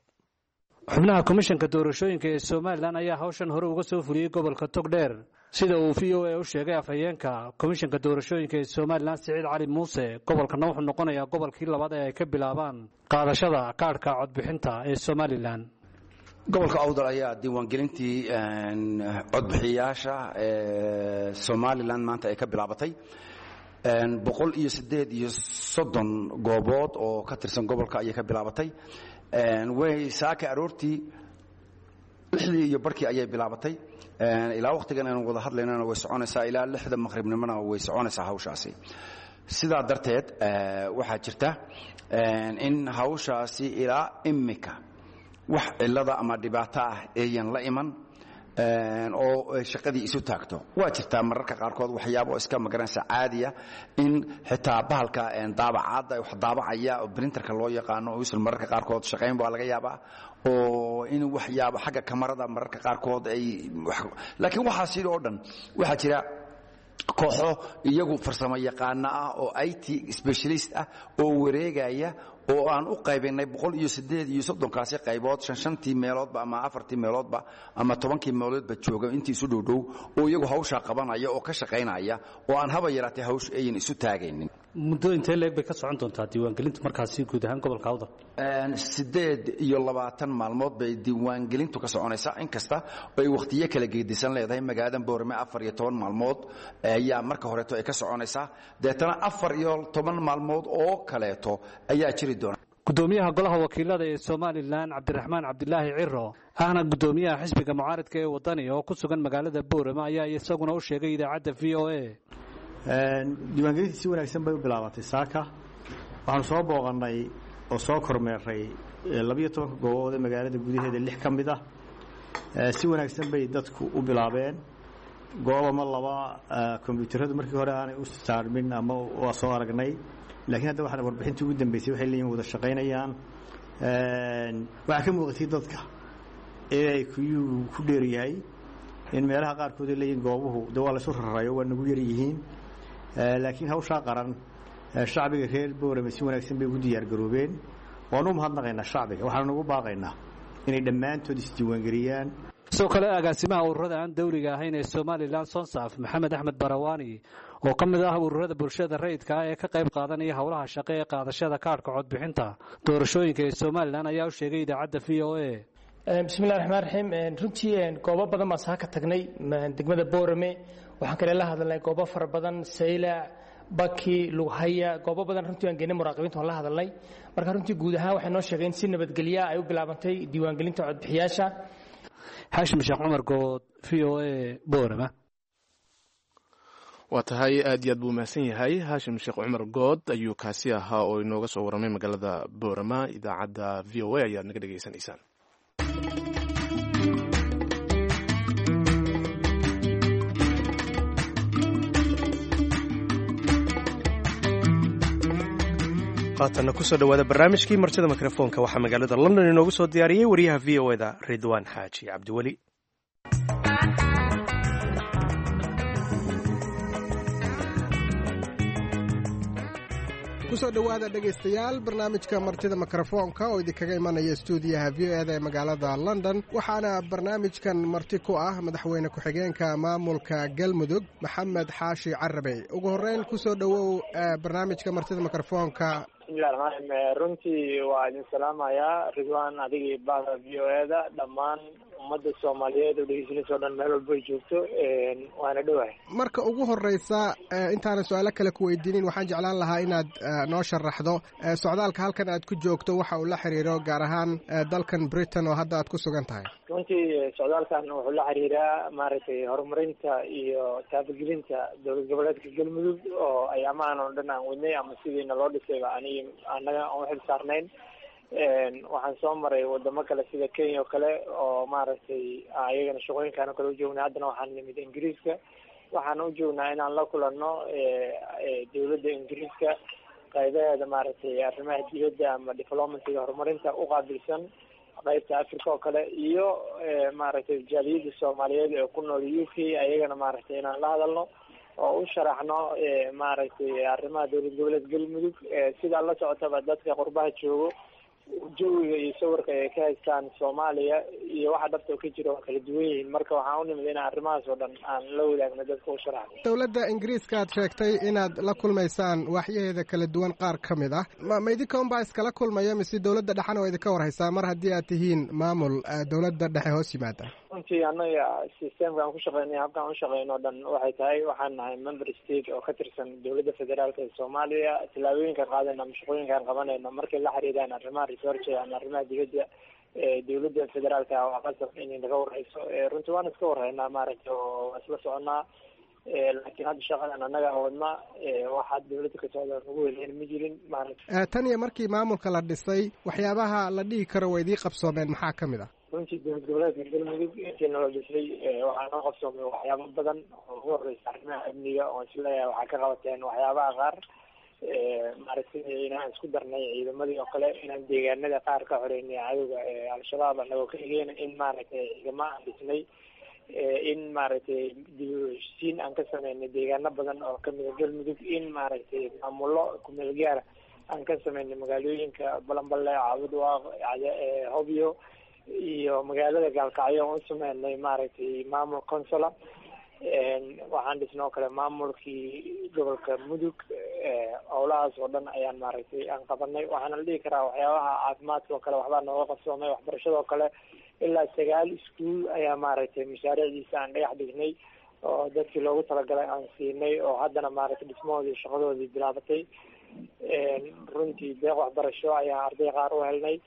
Xubnaha komishanka doorashooyinka ee Somalilan ayaa hawshan hore uga soo fuliyey gobolka Togdheer, sida uu VOA u sheegay afhayeenka komishanka doorashooyinka ee Somalilan, Siciid Cali Muuse. Gobolkana wuxuu noqonayaa gobolkii labaad ee ay ka bilaabaan qaadashada kaadhka codbixinta ee Somalilan. Gobolka Awdal ayaa diiwaangelintii codbixiyayaasha ee Somalilan maanta ay ka bilaabatay 138 goobood oo ka tirsan gobolka ayay ka bilaabatay. Way saaka aroortii 6:30 ayay bilaabatay, ilaa wakhtigan aynu wada hadlaynana way soconaysaa, ilaa 6da maqribnimona way soconaysaa hawshaasi. Sidaa darteed waxaa jirta in hawshaasi ilaa imika wax cillada ama dhibaato ah eeyan la iman oo shaqadii isu taagto. Waa jirtaa mararka qaarkood waxyaabo iska magaranaysa caadiya in xitaa bahalka daabacaadda wax daabacaya oo printerka loo yaqaano uusan mararka qaarkood shaqayn baa laga yaabaa, oo in waxyaabo xagga kamarada mararka qaarkood ay, laakiin waxaasi oo dhan waxaa jira kooxo iyagu farsamo yaqaano ah oo IT specialist ah oo wareegaya, oo aan u qaybinay 138kaasi qaybood, 5-tii meeloodba ama 4tii meeloodba ama 10kii meeloodba jooga intii isu dhowdhow, oo iyagu hawshaa qabanaya oo ka shaqaynaya, oo aan haba yaraatee hawsha ayan isu taagaynin. Muddo intee leeg bay ka socon doontaa diiwaangelintu markaasi guud ahaan gobolka Awdal? 28 maalmood bay diiwaangelintu ka soconaysaa, inkasta ay wakhtiyo kala geedisan leedahay. Magaalada Boorame 14 maalmood ayaa marka horeeto ay ka soconaysaa, deetana 14 maalmood oo kaleeto ayaa jiri doona. Gudoomiyaha golaha wakiilada ee Somalilan, Cabdiraxmaan Cabdilaahi Ciro, ahna gudoomiyaha xisbiga mucaaridka ee Wadani oo ku sugan magaalada Boorame, ayaa isaguna u sheegay idaacadda VOA. Diiwaangelintii si wanaagsan bay u bilaabatay saaka. Waxaanu soo booqannay oo soo kormeeray 12ka goobood ee magaalada gudaheeda 6 ka mid ah. Si wanaagsan bay dadku u bilaabeen. Goob ama laba kombyuutaradu markii hore aanay u saarmin ama waa soo aragnay, laakiin hadda waxaan warbixintii ugu dambeysay waxay leeyihin wada shaqaynayaan. Waxaa ka muuqatay dadka inay kuyuu ku dheeryahay in meelaha qaarkood ay leeyihin goobuhu de waa laysu rarayo, waa nagu yar yihiin, laakiin hawshaa qaran shacbiga reer Boorame si wanaagsan bay ugu diyaargaroobeen. Waanu u mahadnaqaynaa shacbiga, waxaanu ugu baaqaynaa inay dhammaantood isdiiwaangeliyaan. Sidoo kale agaasimaha ururada aan dawliga ahayn ee Somalilan Sonsaf, Maxamed Axmed Barawaani, oo ka mid ah ururada bulshada rayidka ah ee ka qayb qaadanaya howlaha shaqo ee qaadashada kaadhka codbixinta doorashooyinka ee Somalilan, ayaa u sheegay idaacadda VOA. Bismillahi raxmaan raxiim. Runtii goobo badan baan saaka tagnay degmada Boorame. Waxaan kale la hadalnay goobo fara badan, Saylac, Baki, Lughaya, goobo badan runtii aan geynay muraaqibiinta waan la hadalnay. Marka runtii guud ahaan waxay noo sheegeen in si nabadgelya ay u bilaabantay diiwaangelinta codbixiyaasha. Xaashim Sheekh Cumar Good, VOA, Boorama. Waa tahay, aad iyo aad buu mahadsan yahay Haashim Sheekh Cumar Good ayuu kaasi ahaa oo inooga soo warramay magaalada Boorama. Idaacadda VOA ayaad naga dhegaysanaysaan. Haatanna kusoo dhawaada barnaamijkii martida mikrofoonka. Waxaa magaalada London inoogu soo diyaariyey wariyaha VOA da Ridwaan Xaaji Cabdiweli. Kusoo dhowaada, dhegaystayaal, barnaamijka martida mikrofoonka oo idinkaga imanaya stuudiyaha VOA da ee magaalada London. Waxaana barnaamijkan marti ku ah madaxweyne ku-xigeenka maamulka Galmudug, Maxamed Xaashi Carabey. Ugu horreyn, kusoo dhowow barnaamijka martida mikrofoonka. Bismillahi raxmaan raxiim. Runtii waa idin salaamayaa, Ridwaan, adigii bahda VOA da, dhammaan ummadda Soomaaliyeed oo dhegeysanaysa o dhan meel walba ay joogto, waana dhowahay. Marka ugu horeysa, intaanan su-aalo kale ku weydiinin, waxaan jeclaan lahaa inaad noo sharaxdo socdaalka halkan aad ku joogto waxa uu la xiriiro, gaar ahaan dalkan Britain oo hadda aad ku sugan tahay. Runtii socdaalkan wuxuu la xiriiraa, maaragtay, horumarinta iyo taabagelinta dowlad goboleedka Galmudug oo ay amahan oo dhan aan wadnay ama sidiina loo dhisayba anigi annaga aan uxil saarnayn. Waxaan soo maray wadamo kale sida Kenya oo kale oo, maaragtay, ayagana shaqooyinkaan oo kale ujoognay. Haddana waxaan nimid Ingiriiska. Waxaan u joognaa inaan la kulanno dowladda Ingiriiska qaybaheeda, maaragtay, arrimaha dibadda ama diplomacyga horumarinta uqaabilsan qaybta Africa oo kale iyo, maaragtay, jaaliyadda Soomaaliyeed ee ku nool UK, ayagana, maaragtay, inaan la hadalno oo u sharaxno, maaragtay, arrimaha dowlad goboleed Galmudug. Sidaa la socotaba, dadka qurbaha joogo jawiga iyo sawirka ay ka haystaan Soomaaliya iyo waxa dhabta ka jira waa kala duwan yihiin. Marka waxaan u nimid inaan arrimahaas oo dhan aan la wadaagno dadka, u sharaxno. Dowladda Ingiriiska aad sheegtay inaad la kulmaysaan waaxyaheeda kala duwan qaar ka mid ah, ma idinka unbaa iskala kulmaya mise dowladda dhexena waa idinka warhaysaa, mar haddii aad tihiin maamul dowladda dhexe hoos yimaada? Runtii annaga systemka aan ku shaqeynay, habkaan u shaqeyno o dhan waxay tahay, waxaan nahay member state oo ka tirsan dowladda federaalka ee Soomaaliya. Tallaabooyinkaan qaadayno ama shaqooyinkaan qabanayno markay la xiriiraan arrimaha research ama arrimaha dibadda ee dowladda federaalka, waa qasab inay naga warhayso. Runtii waan iska warhaynaa, maaragtay, oo waa isla soconaa, laakiin hadda shaqadan annaga wadna, waxaa dowladda ka socda nagu weleyn ma jirin, maaragtay. Tan iyo markii maamulka la dhisay, waxyaabaha la dhihi karo waa idii qabsoomeen maxaa ka mid ah? Runtii dowlad goboleedka Galmudug intii nala dhisay waxaa noo qabsoomay waxyaabo badan oo ugu horeysa arrimaha amniga, oo isleeyahay waxaa ka qabateen waxyaabaha qaar, maaragtay, inaan isku darnay ciidamadii oo kale, inaan deegaanada qaar ka xoreynay cadowga Al-Shabaab anagoo ka egeyna, in, maaragtay, ciidamo aan dhisnay, in, maaragtay, dib u heshiisiin aan ka sameynay deegaano badan oo kamida Galmudug, in, maaragtay, maamullo kumeel gaara aan ka sameynay magaalooyinka Balanballe, Caabudwaaq, Hobyo iyo magaalada Gaalkacyo oon u sameynay, maaragtay, maamul consola. Waxaan dhisnay oo kale maamulkii gobolka Mudug. Howlahaas oo dhan ayaan, maaragtay, aan qabanay. Waxaana la dhihi karaa waxyaabaha caafimaadka oo kale waxbaa nooga qabsoomay. Waxbarashada oo kale, ilaa 9 iskuul ayaa, maaragtay, mashaariicdiisa aan dhagax dhignay oo dadkii loogu talagalay aan siinay oo haddana, maaragtay, dhismahoodii shaqadoodii bilaabatay. Runtii deeq waxbarasho ayaa arday qaar u helnay.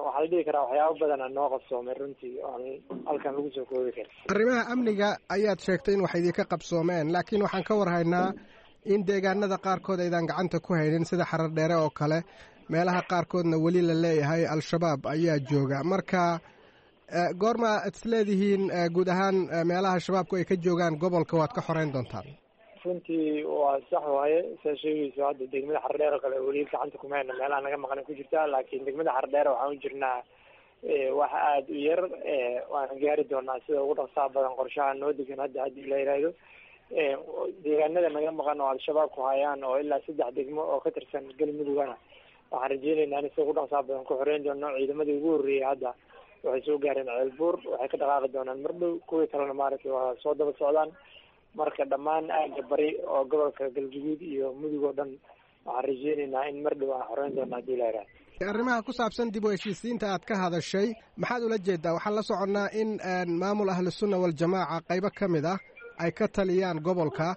Waxaa la dhihi karaa waxyaabo badana noo qabsoomay runtii oon halkan lagu soo koobi karin. Arrimaha amniga ayaad sheegtay in wax idinka qabsoomeen, laakiin waxaan ka warhaynaa in deegaanada qaarkood aydan gacanta ku haynin, sida Xarar Dheere oo kale, meelaha qaarkoodna weli la leeyahay Al-Shabaab ayaa jooga. Marka goorma ad is leedihiin guud ahaan meelaha Shabaabku ay ka joogaan gobolka waad ka xoreyn doontaan? Runtii waa sax waaye saa sheegayso. Hadda degmada Xardheer oo kale weli gacanta kuma hayno, meelaha naga maqan ku jirtaa, laakiin degmada Xardheer waxaan u jirnaa wax aada u yar, waana gaari doonaa sida ugu dhaqsaha badan qorshaha noo degan hadda haddii la yidhaahdo. Deegaanada naga maqan oo Al-Shabaab ku hayaan oo ilaa 3 degmo oo ka tirsan Galmudugana, waxaan rajeynaynaa in sida ugu dhaqsaha badan ku xoreyn doono. Ciidamadii ugu horreeyay hadda waxay soo gaareen Ceelbuur, waxay ka dhaqaaqi doonaan mardhow, kuwii kalena, maaragtay, waa soo daba socdaan. Marka dhammaan aagga bari oo gobolka Galguduud iyo Mudug oo dhan waxaan rajeynaynaa in mar dhow aan xoreyn doono haddii la yidhahdo. Arrimaha ku saabsan dib u heshiisiinta aad ka hadashay, maxaad ula jeedaa? Waxaan la soconnaa in maamul Ahlusunna Waljamaaca qaybo ka mid ah ay ka taliyaan gobolka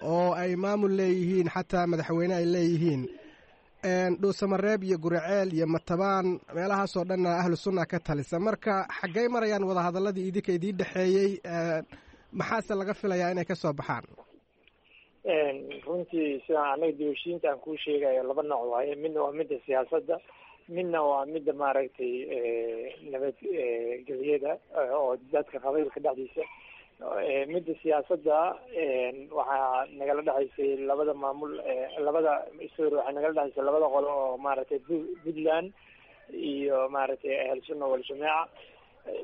oo ay maamul leeyihiin, xataa madaxweyne ay leeyihiin. Dhuusamareeb iyo Guriceel iyo Matabaan, meelahaasoo dhanna Ahlu Sunna ka talisa. Marka xaggey marayaan wadahadalladii idinka idiin dhexeeyey? Maxaase laga filayaa inay ka soo baxaan? Runtii sidaan anaga dib heshiinta aan kuu sheegayo laba nooc waaye. Midna waa midda siyaasadda, midna waa midda maaragtay nabadgelyada oo dadka qabiilka dhexdiisa. Midda siyaasadda waxaa nagala dhexaysay labada maamul, labada, sorry, waxaa nagala dhexaysay labada qolo oo maaragtay Puntland iyo maaragtay Ahel Sunna Waljamaaca.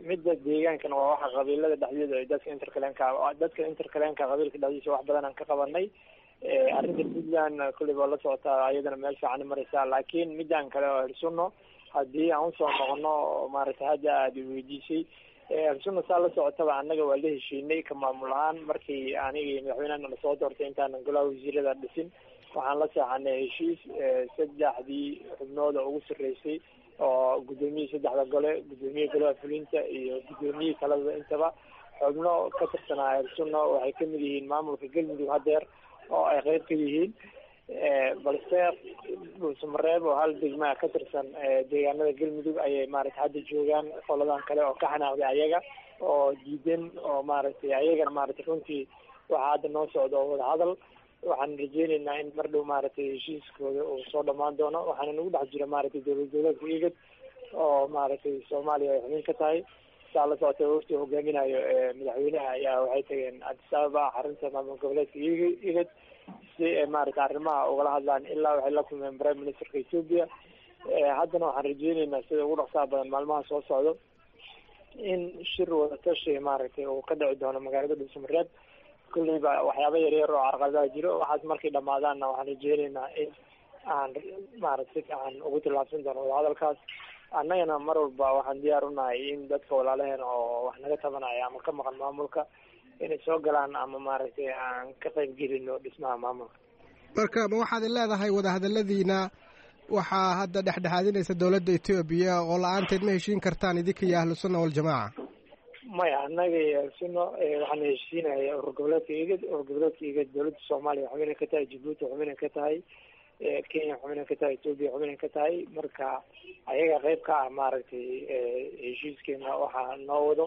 Midda deegaankana waa waxa qabiilada dhexdeeda ay dadka interclanka, dadka interclanka qabiilka dhexdiisa wax badan aan ka qabanay. Arrinta Puntland kulley waa la socotaa, ayadana meel fiican mareysaa. Laakiin midaan kale oo Ahel Sunno haddii aan usoo noqono oo maaragtay hadda aada weydiisay, Ahel Sunna saa la socotaba annaga waa la heshiinay ka maamul ahaan. Markii aniga iyo madaxweynahana lasoo doortay, intaanan golaha wasiirada dhisin, waxaan la seexanay heshiis saddexdii xubnooda ugu sarreysay oo guddoomiyihii saddexda gole, guddoomiye golaha fulinta iyo guddoomiyihii talada intaba. Xubno ka tirsanaa Ahel Sunna waxay kamid yihiin maamulka Galmudug hadeer oo ay qeyb ka yihiin, balse Dhuusamareeb oo hal degmaa ka tirsan deegaanada Galmudug ayay maaragtay hadda joogaan qoladan kale oo ka xanaaqday ayaga oo diidan oo maaragtay ayagana maaragtay. Runtii waxaa hadda noo socda oo wadahadal. Waxaan rajeyneynaa in mar dhow maaragtay heshiiskooda uu soo dhamaan doono. Waxaana nagu dhex jira maaragtay dowlad goboleedka IGAD oo maaragtay Soomaaliya ay xubin ka tahay. Saa la socotay, wafti hogaaminayo madaxweynaha ayaa waxay tageen Addis Ababa, xarunta maamul goboleedka IGAD, si ay maaragtay arrimaha ugala hadlaan. Ilaa waxay la kulmeen prime ministerka Ethiopia. Haddana waxaan rajeyneynaa sida ugu dhaqsaha badan maalmaha soo socdo in shir wadatashi maaragtay uu ka dhici doono magaalada Dhuusamareeb. Kulleyba waxyaaba yaryar oo carqaladaha jiro, waxaas markay dhamaadaanna waxaan rajeyneynaa in aan maaragtay si fiican ugu tillaabsan doono wadahadalkaas. Annagana mar walba waxaan diyaar unahay in dadka walaalaheen oo wax naga tabanaya ama ka maqan maamulka inay soo galaan ama maaragtay aan ka qayb gelino dhismaha maamulka. Marka ma waxaad leedahay wadahadaladiina waxaa hadda dhexdhexaadinaysa dowladda Etoobiya oo la-aanteed ma heshiin kartaan idinka iyo Ahlu Sunna Waljamaaca? Maya, annaga iyo Ahlu Sunna waxaan heshiinaya urur goboleedka IGAD. Urur goboleedka IGAD dowladda Soomaaliya xubinay ka tahay, Jabuuti xubinay ka tahay, Kenya xubinay ka tahay, Etoobiya xubinay ka tahay. Marka ayaga qayb ka ah maaragtay heshiiskeena waxaa noo wado.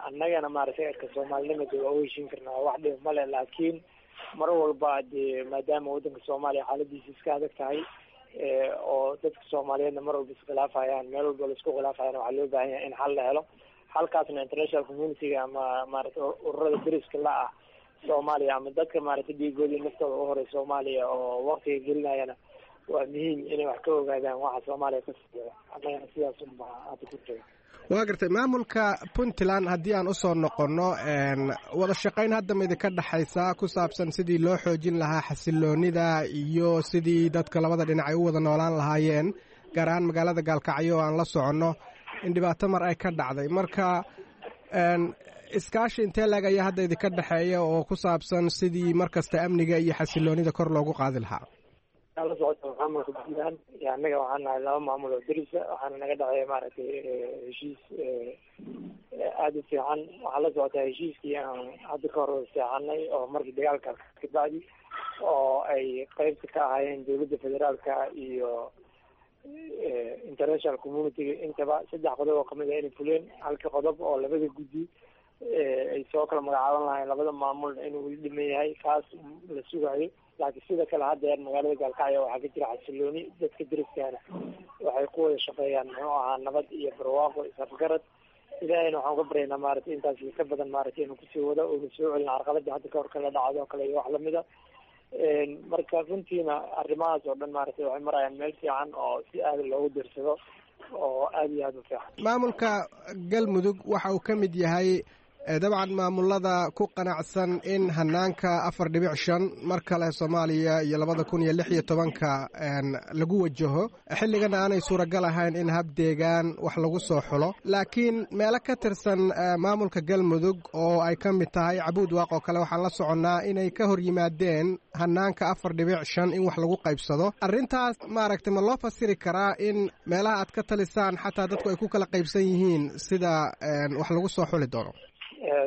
Annagana maaragtay erka soomaalinimada waa u heshiin karnaa, wax dhib male. Laakiin mar walba dee maadaama waddanka Soomaaliya xaaladiisa iska adag tahay oo dadka Soomaaliyeedna mar walba iskhilaafayaan, meel walba laisku khilaafayaan, waxaa loo baahan yahay in xal la helo. Xalkaasna international community-ga ama maaragtay ururada deriska la ah Soomaaliya ama dadka maaragtay dhiigooda iyo naftooda u horay Soomaaliya oo waktiga gelinayana waa muhiim inay wax ka ogaadaan waxa Soomaaliya ka socda. Annagana sidaas unbaa hadda ku jira. Waa gartay. Maamulka Puntland haddii aan usoo noqonno, wada shaqayn hadda ma idinka dhexaysaa ku saabsan sidii loo xoojin lahaa xasiloonida iyo sidii dadka labada dhinac ay u wada noolaan lahaayeen, gaar ahaan magaalada Gaalkacyo oo aan la soconno in dhibaato mar ay ka dhacday? Marka iskaashi intee laeg ayaa hadda idinka dhexeeya oo ku saabsan sidii mar kasta amniga iyo xasiloonida kor loogu qaadi lahaa? La socota maamulka Puntland iyo annaga waxaan nahay laba maamul oo derisa. Waxaana naga dhexeeya maaragtay heshiis aada u fiican. Waxaa la socotaa heshiiskii aan hadda ka hor seexanay oo markii dagaalka kabacdi oo ay qeybta ka ahaayeen dowladda federaalka iyo international community-ga intaba. Saddex qodob oo kamid ah inay fuleen, halka qodob oo labada guddi ay soo kala magacaaban lahayn labada maamul inuu weli dhiman yahay, kaas la sugayo. Laakiin sida kale haddeer magaalada Gaalkacyo waxaa ka jira xasilooni. Dadka deriskaana waxay ku wada shaqeeyaan muxuu ahaa nabad iyo barwaaqo, isafgarad. Ilaahayna waxaan ka baryaynaa maaragtay intaas ka badan maaragtay inuu kusii wado oona soo celin carqaladii hadda kahor kala dhacdo kale iyo wax lamida. Marka runtiina arrimahaas oo dhan maaragtay waxay marayaan meel fiican oo si aada loogu dirsado oo aada iyo aada u fiican. Maamulka Galmudug waxa uu ka mid yahay dabcan maamulada ku qanacsan in hanaanka 4.5 mar kale Soomaaliya iyo 2016-ka lagu wajaho, xilligana aanay suuragal ahayn in hab deegaan wax lagu soo xulo. Laakiin meelo ka tirsan maamulka Galmudug oo ay ka mid tahay Cabuud Waaq oo kale, waxaan la soconnaa inay ka hor yimaadeen hanaanka 4.5 in wax lagu qaybsado. Arrintaas maaragtay ma loo fasiri karaa in meelaha aad ka talisaan xataa dadku ay ku kala qaybsan yihiin sida wax lagu soo xuli doono?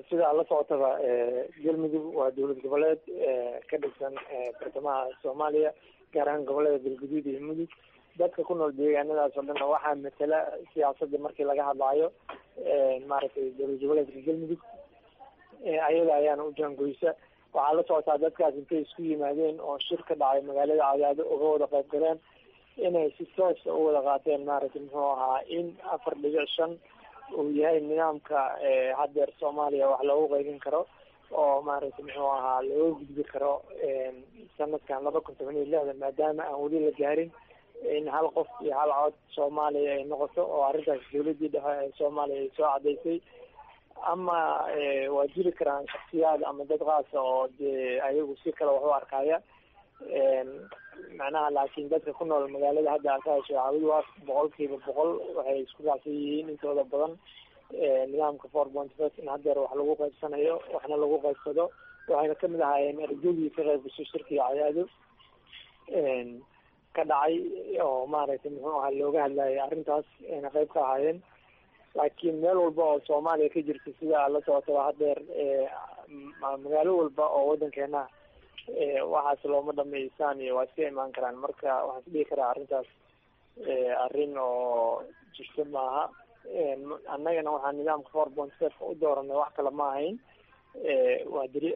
Sidaa la socotaba, Galmudug waa dowlad goboleed ka dhigsan bartamaha Soomaaliya, gaar ahaan gobolada Galguduud iyo Mudug. Dadka ku nool deegaanadaas oo dhanna waxaa matala siyaasadda markii laga hadlaayo maaragtay dowlad goboleedka Galmudug, ayada ayaana u jaangoysa. Waxaa la socotaa dadkaas intay isku yimaadeen oo shir ka dhacay magaalada Cadaado uga wada qayb galeen inay si toosa u wada qaateen maaragtay muxuu ahaa in 4.5 uu yahay nidaamka haddeer Soomaaliya wax loogu qaybin karo oo maaragtay muxuu ahaa looga gudbi karo sanadkan 2016, maadaama aan weli la gaarin in hal qof iyo hal cod Soomaaliya ay noqoto, oo arrintaas dowladii dhexe ee Soomaaliya ay soo cadaysay. Ama waa jiri karaan shaksiyaad ama dad qaasa oo dee ayagu si kale wax u arkaya macnaha, laakiin dadka ku nool magaalada hadda aad ka hesho Caabudwaaq 100% waxay isku raacsan yihiin intooda badan nidaamka 4.5 in haddeer wax lagu qaybsanayo waxna lagu qaybsado. Waxayna kamid ahaayeen ergadii ka qayb gashay shirkiga Cadaado ka dhacay oo maaragtay muxuu ahaa looga hadlayay arrintaas ayna qayb ka ahaayeen. Laakiin meel walba oo Soomaaliya ka jirta sida aad la socotaba haddeer magaalo walba oo waddankeena waxaas looma dhamaysaan iyo waa iska imaan karaan. Marka waxaan isdhihi karaa arrintaas arrin oo jirta maaha. Annagana waxaan nidaamka 4.5 u dooranay wax kale ma ahayn, waa diri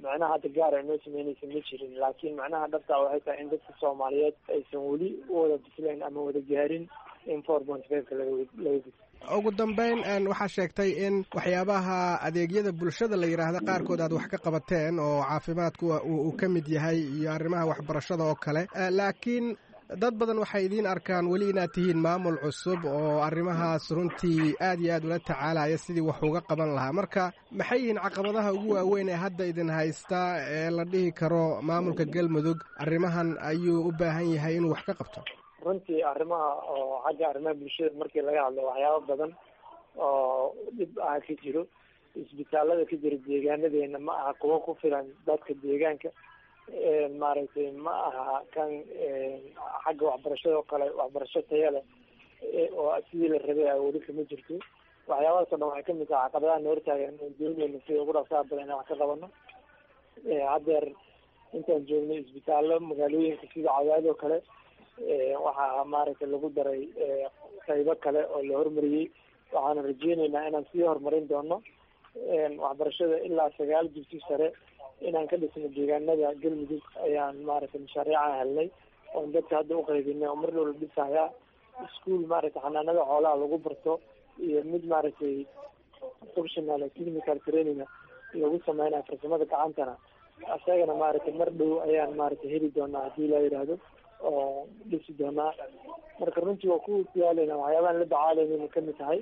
macnaha hadda gaar ay noo sameynaysa ma jirin, laakiin macnaha dhabta waxay tahay in dadka Soomaaliyeed aysan weli u wada bislayn ama wada gaarin in 4.5-ka laga gudbo. Ugu dambeyn, waxaa sheegtay in waxyaabaha adeegyada bulshada la yidhaahda qaarkood aad wax ka qabateen oo caafimaadku uu ka mid yahay iyo arrimaha waxbarashada oo kale, laakiin dad badan waxay idiin arkaan weli inaad tihiin maamul cusub oo arrimahaas runtii aad iyo aad ula tacaalaya sidii wax uga qaban lahaa. Marka maxay yihiin caqabadaha ugu waaweyn ee hadda idin haysta ee la dhihi karo maamulka Galmudug arrimahan ayuu u baahan yahay inuu wax ka qabto? Runtii arrimaha oo xagga arrimaha bulshada markii laga hadlo waxyaabo badan oo dhib ah ka jiro. Isbitaalada ka jira deegaanadeena ma aha kuwo ku filan dadka deegaanka, maaragtay ma aha kan xagga waxbarashada oo kale waxbarasho taya leh oo sidii la rabay a weli kama jirto. Waxyaabahaas o dhan waxay kamid tahay caqabadaha na hortaagan oon dooneyno sida ugu dhaqsaha badan inaan wax ka qabano. Haddeer intaan joognay isbitaallo magaalooyinka sida Cadaad oo kale waxaa maaragtay lagu daray qaybo kale oo la hormariyey, waxaana rajeyneynaa inaan sii horumarin doono waxbarashada ilaa 9 dugsi sare inaan ka dhisno deegaanada Galmudug ayaan maaragtay mashaariica helnay oon dadka hadda uqaybinay oo mar dhow la dhisayaa iskuol maaragtay xanaanada xoolaha lagu barto iyo mid maaragtay professional technical training lagu sameynayo farsamada gacantana, isagana maaragtay mar dhow ayaan maaragtay heli doonaa haddii la yidhaahdo oo dhisi doonaa. Marka runtii waa ku diyaaleyna waxyaabahan la dacaalayna kamid tahay,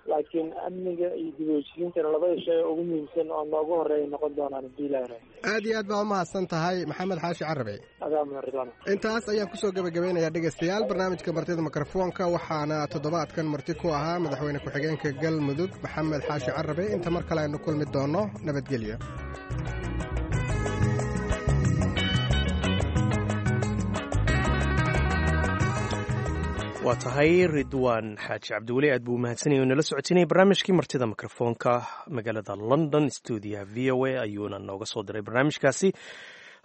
laakiin amniga iyo dib u heshiisiintana labada shay oo ugu muhiimsan oo noogu horeeya noqon doonaan haddii la yidhaahdo. Aad iyo aad baa umahadsan tahay Maxamed Xaashi Carabe. Adaa mudan Ridwaan. Intaas ayaan kusoo gabagabeynayaa dhegaystayaal barnaamijka martida mikrofoonka, waxaana toddobaadkan marti ku ahaa madaxweyne ku-xigeenka Galmudug Maxamed Xaashi Carabe. Inta mar kale aynu kulmi doono, nabadgelyo. Waa tahay Ridwaan Xaaji Cabdiweli, aad buu umahadsanayay oo nala socotinayay barnaamijkii martida mikrofoonka magaalada London stuudiyaha VOA ayuuna nooga soo diray barnaamijkaasi.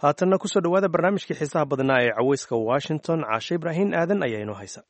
Haatanna kusoo dhowaada barnaamijkii xiisaha badnaa ee caweyska Washington. Caashe Ibraahim Aadan ayaa inoo haysa.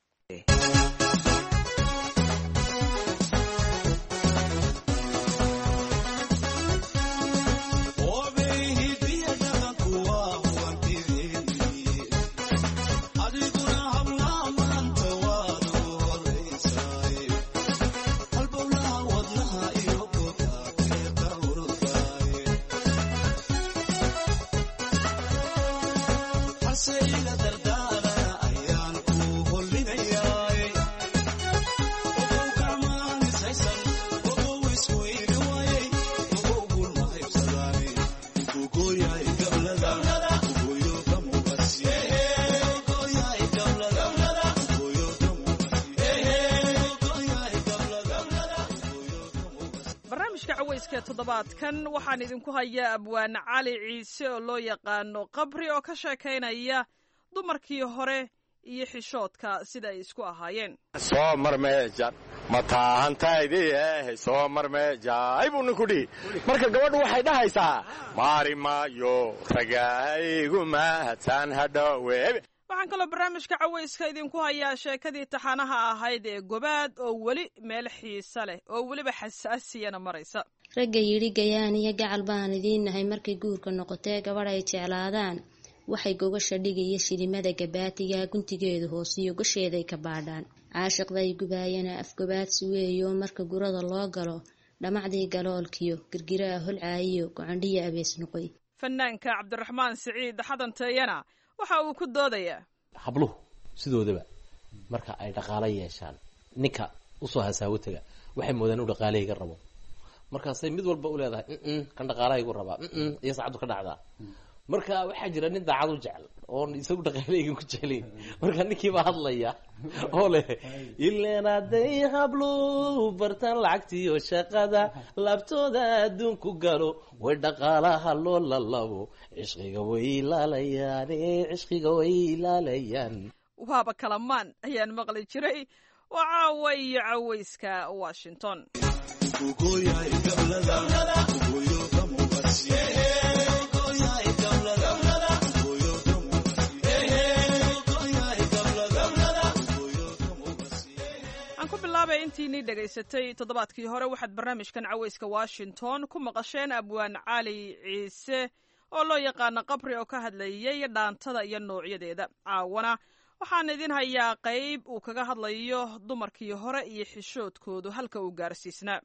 Toddobaadkan waxaan idinku hayaa abwaan Cali Ciise oo loo yaqaano Qabri oo ka sheekaynaya dumarkii hore iyo xishoodka sida ay isku ahaayeen. Soo marmeejan mataahantaydii soo marmeejaay buu ninku dhihi. Marka gabadhu waxay dhahaysaa maari maayo ragahaygu mahadsan hadhowe. Waxaan kaloo barnaamijka cawayska idinku hayaa sheekadii taxanaha ahayd ee Gobaad oo weli meel xiise leh oo weliba xasaasiyana maraysa. Ragga yidhi gayaan iyo gacal baan idiin nahay markay guurka noqotee gabadh ay jeclaadaan waxay gogasha dhigaya shilimada gabaatiga guntigeedu hoosiyo gosheeday ka baadhaan. Caashiqday gubaayana afgobaadsi weeyo marka gurada loo galo dhamacdii galoolkiyo girgiraha holcaayiyo gocandhiya abees noqoy. Fanaanka Cabdiraxmaan Siciid Xadanteeyana waxa uu ku doodayaa habluhu sidoodaba marka ay dhaqaalo yeeshaan ninka usoo hasaawo taga waxay moodaan u dhaqaalahayga rabo, markaasay mid walba u leedahay kan dhaqaalahaygu rabaa iyo saacaddu ka dhacdaa. Marka waxaa jira nin daacad u jecel oon isagu dhaqaalahaygan ku jeclayn, marka ninkiibaa hadlaya oo leh ileen hadday habluhu bartaan lacagtiiyo shaqada laabtooda adduunku galo way dhaqaalaha loo lalabo cishqiga way ilaalayaan, cishqiga way ilaalayaan. Waaba kalamaan ayaan maqli jiray. Waa caawa iyo cawayska Washington. Intiinii dhegaysatay toddobaadkii hore waxaad barnaamijkan cawayska Washington ku maqasheen abwaan Cali Ciise oo loo yaqaano Qabri oo ka hadlayay dhaantada iyo noocyadeeda. Caawana waxaan idin hayaa qayb uu kaga hadlayo dumarkii hore iyo xishoodkoodu halka uu gaarsiisnaa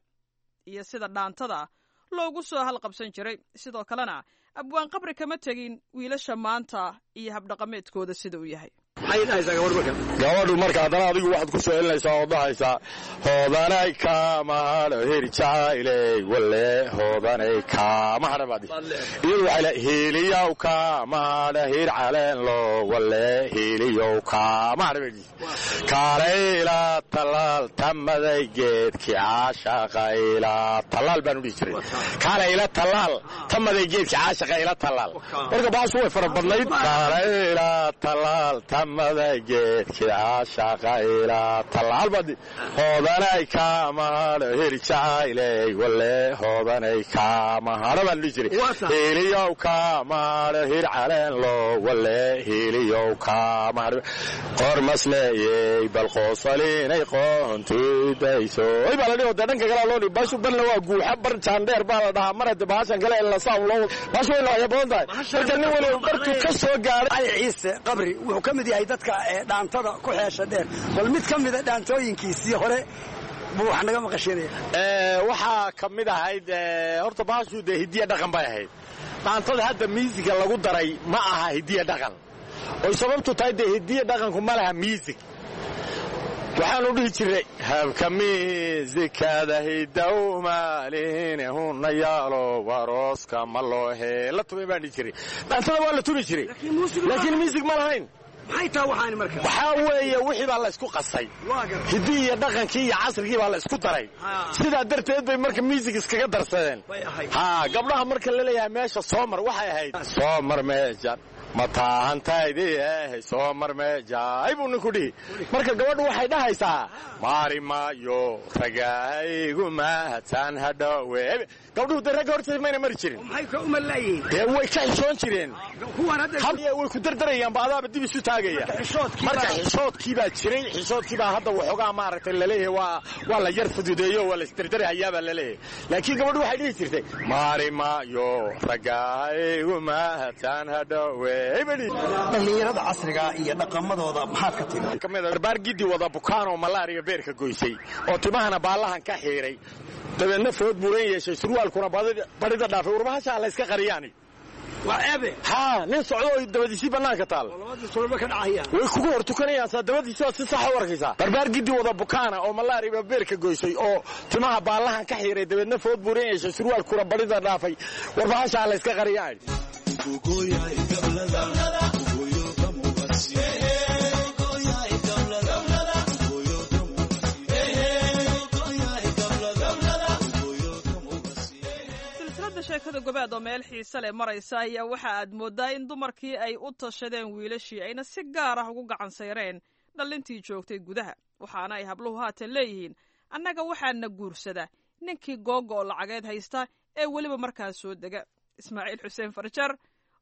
iyo sida dhaantada loogu soo halqabsan jiray. Sidoo kalena abwaan Qabri kama tegin wiilasha maanta iyo habdhaqameedkooda sida uu yahay. Gabadhu marka haddana adigu waxaad ku soo celinaysaa oo dhahaysaa hoodanay kaamahadho heri jacayley walle hoodanay kaamahadha baad iyadu waxay leedahay hiiliyow kaamahadha hir caleenlo walle hiiliyow kaamahadha baad kaalayla tallaal tamaday geedkii caashaqayla tallaal baan u dhihi jiray kaalayla tallaal tamaday geedkii caashaqayla tallaal. Marka baashu way fara badnayd kaalayla tallaal tamaday geedkii caashaqayla tallaal baad hoodanay kaamahadho heri jacayley walle hoodanay kaamahadho baan dhihi jiray hiiliyow kaamahadho hir caleenlo walle hiiliyow kaamahadho qormasleeyey bal qoosalinay qoontidayso oy baa la dhihi dee dhanka kale loo dhihi baashu barna waa guuxa bar jaandheer baa la dhahaa mar hadde bahashan kale lasaa loo baashu way noocyo badan tahay marka nin waliba bartuu ka soo gaaray. Cali Ciise Qabri wuxuu ka mid yahay dadka dhaantada ku xeesha dheer, bal mid ka mida dhaantooyinkiisii hore buu wax naga maqashinaya. Waxaa ka mid ahayd horta baashu dee hidiya dhaqan bay ahayd. Dhaantada hadda miisiga lagu daray ma aha hidiya dhaqan, oy sababtu tahay dee hidiya dhaqanku ma laha miisig. Waxaanu dhihi jiray habka miisikada hidawmaaline huna yaalo warooska ma loo heela tumay baan dhihi jiray. Dhaantada waa la tumi jiray laakiin miisig ma lahayn. Maxay tahay waxaani marka? Waxaa weeye wixii baa la isku qasay, hiddii iyo dhaqankii iyo casrigii baa la isku daray, sidaa darteed bay marka miisig iskaga darsadeen. Ha gabdhaha marka la leeyahay meesha soo mar waxay ahayd soo mar meesha mataahantaydii ehe soo mar meejaay buu ninku dhihi. Marka gabadhu waxay dhahaysaa maari maayo ragahaygu mahadsan hadhowe. Gabdhuhu dee ragga hortiisa mayna mari jirin, dee way ka xishoon jireen, way ku dardarayaanba adaaba dib isu taagaya. Marka xishoodkii baa jiray, xishoodkii baa hadda waxoogaa maaragtay laleeyahay waa la yar fududeeyo waa la isdardarahayaa baa laleeyahay. Laakiin gabadhu waxay dhihi jirtay maari maayo ragahaygu mahadsan hadhowe. Dhallinyarada casriga iyo dhaqamadooda maxaad ka tiri? Barbaar gidi wada bukaan oo malaariya beerka goysay oo timahana baallahan ka xiiray, dabeedna food buuran yeeshay, surwaalkuna barida dhaafay, warbahashaa la iska qariyaani ha nin socdo oo dabadiisii bannaanka taal way kugu hor tukanayaan saa dabadiisi waad si saxa u arkaysaa. Barbaar gidi wada bukaana oo malaariba beerka goysay oo timaha baallahan ka xiiray, dabeedna food buuran yeeshay, surwaalkuna barida dhaafay, warbahashaa la iska qariyaan. Silsiladda sheekada Gobaad oo meel xiise leh maraysa ayaa waxa aad mooddaa in dumarkii ay u tashadeen wiilashii ayna si gaar ah ugu gacan sayreen dhallintii joogtay gudaha, waxaana ay habluhu haatan leeyihiin annaga waxaana guursada ninkii googa oo lacageed haysta ee weliba markaas soo dega. Ismaaciil Xuseen Farjar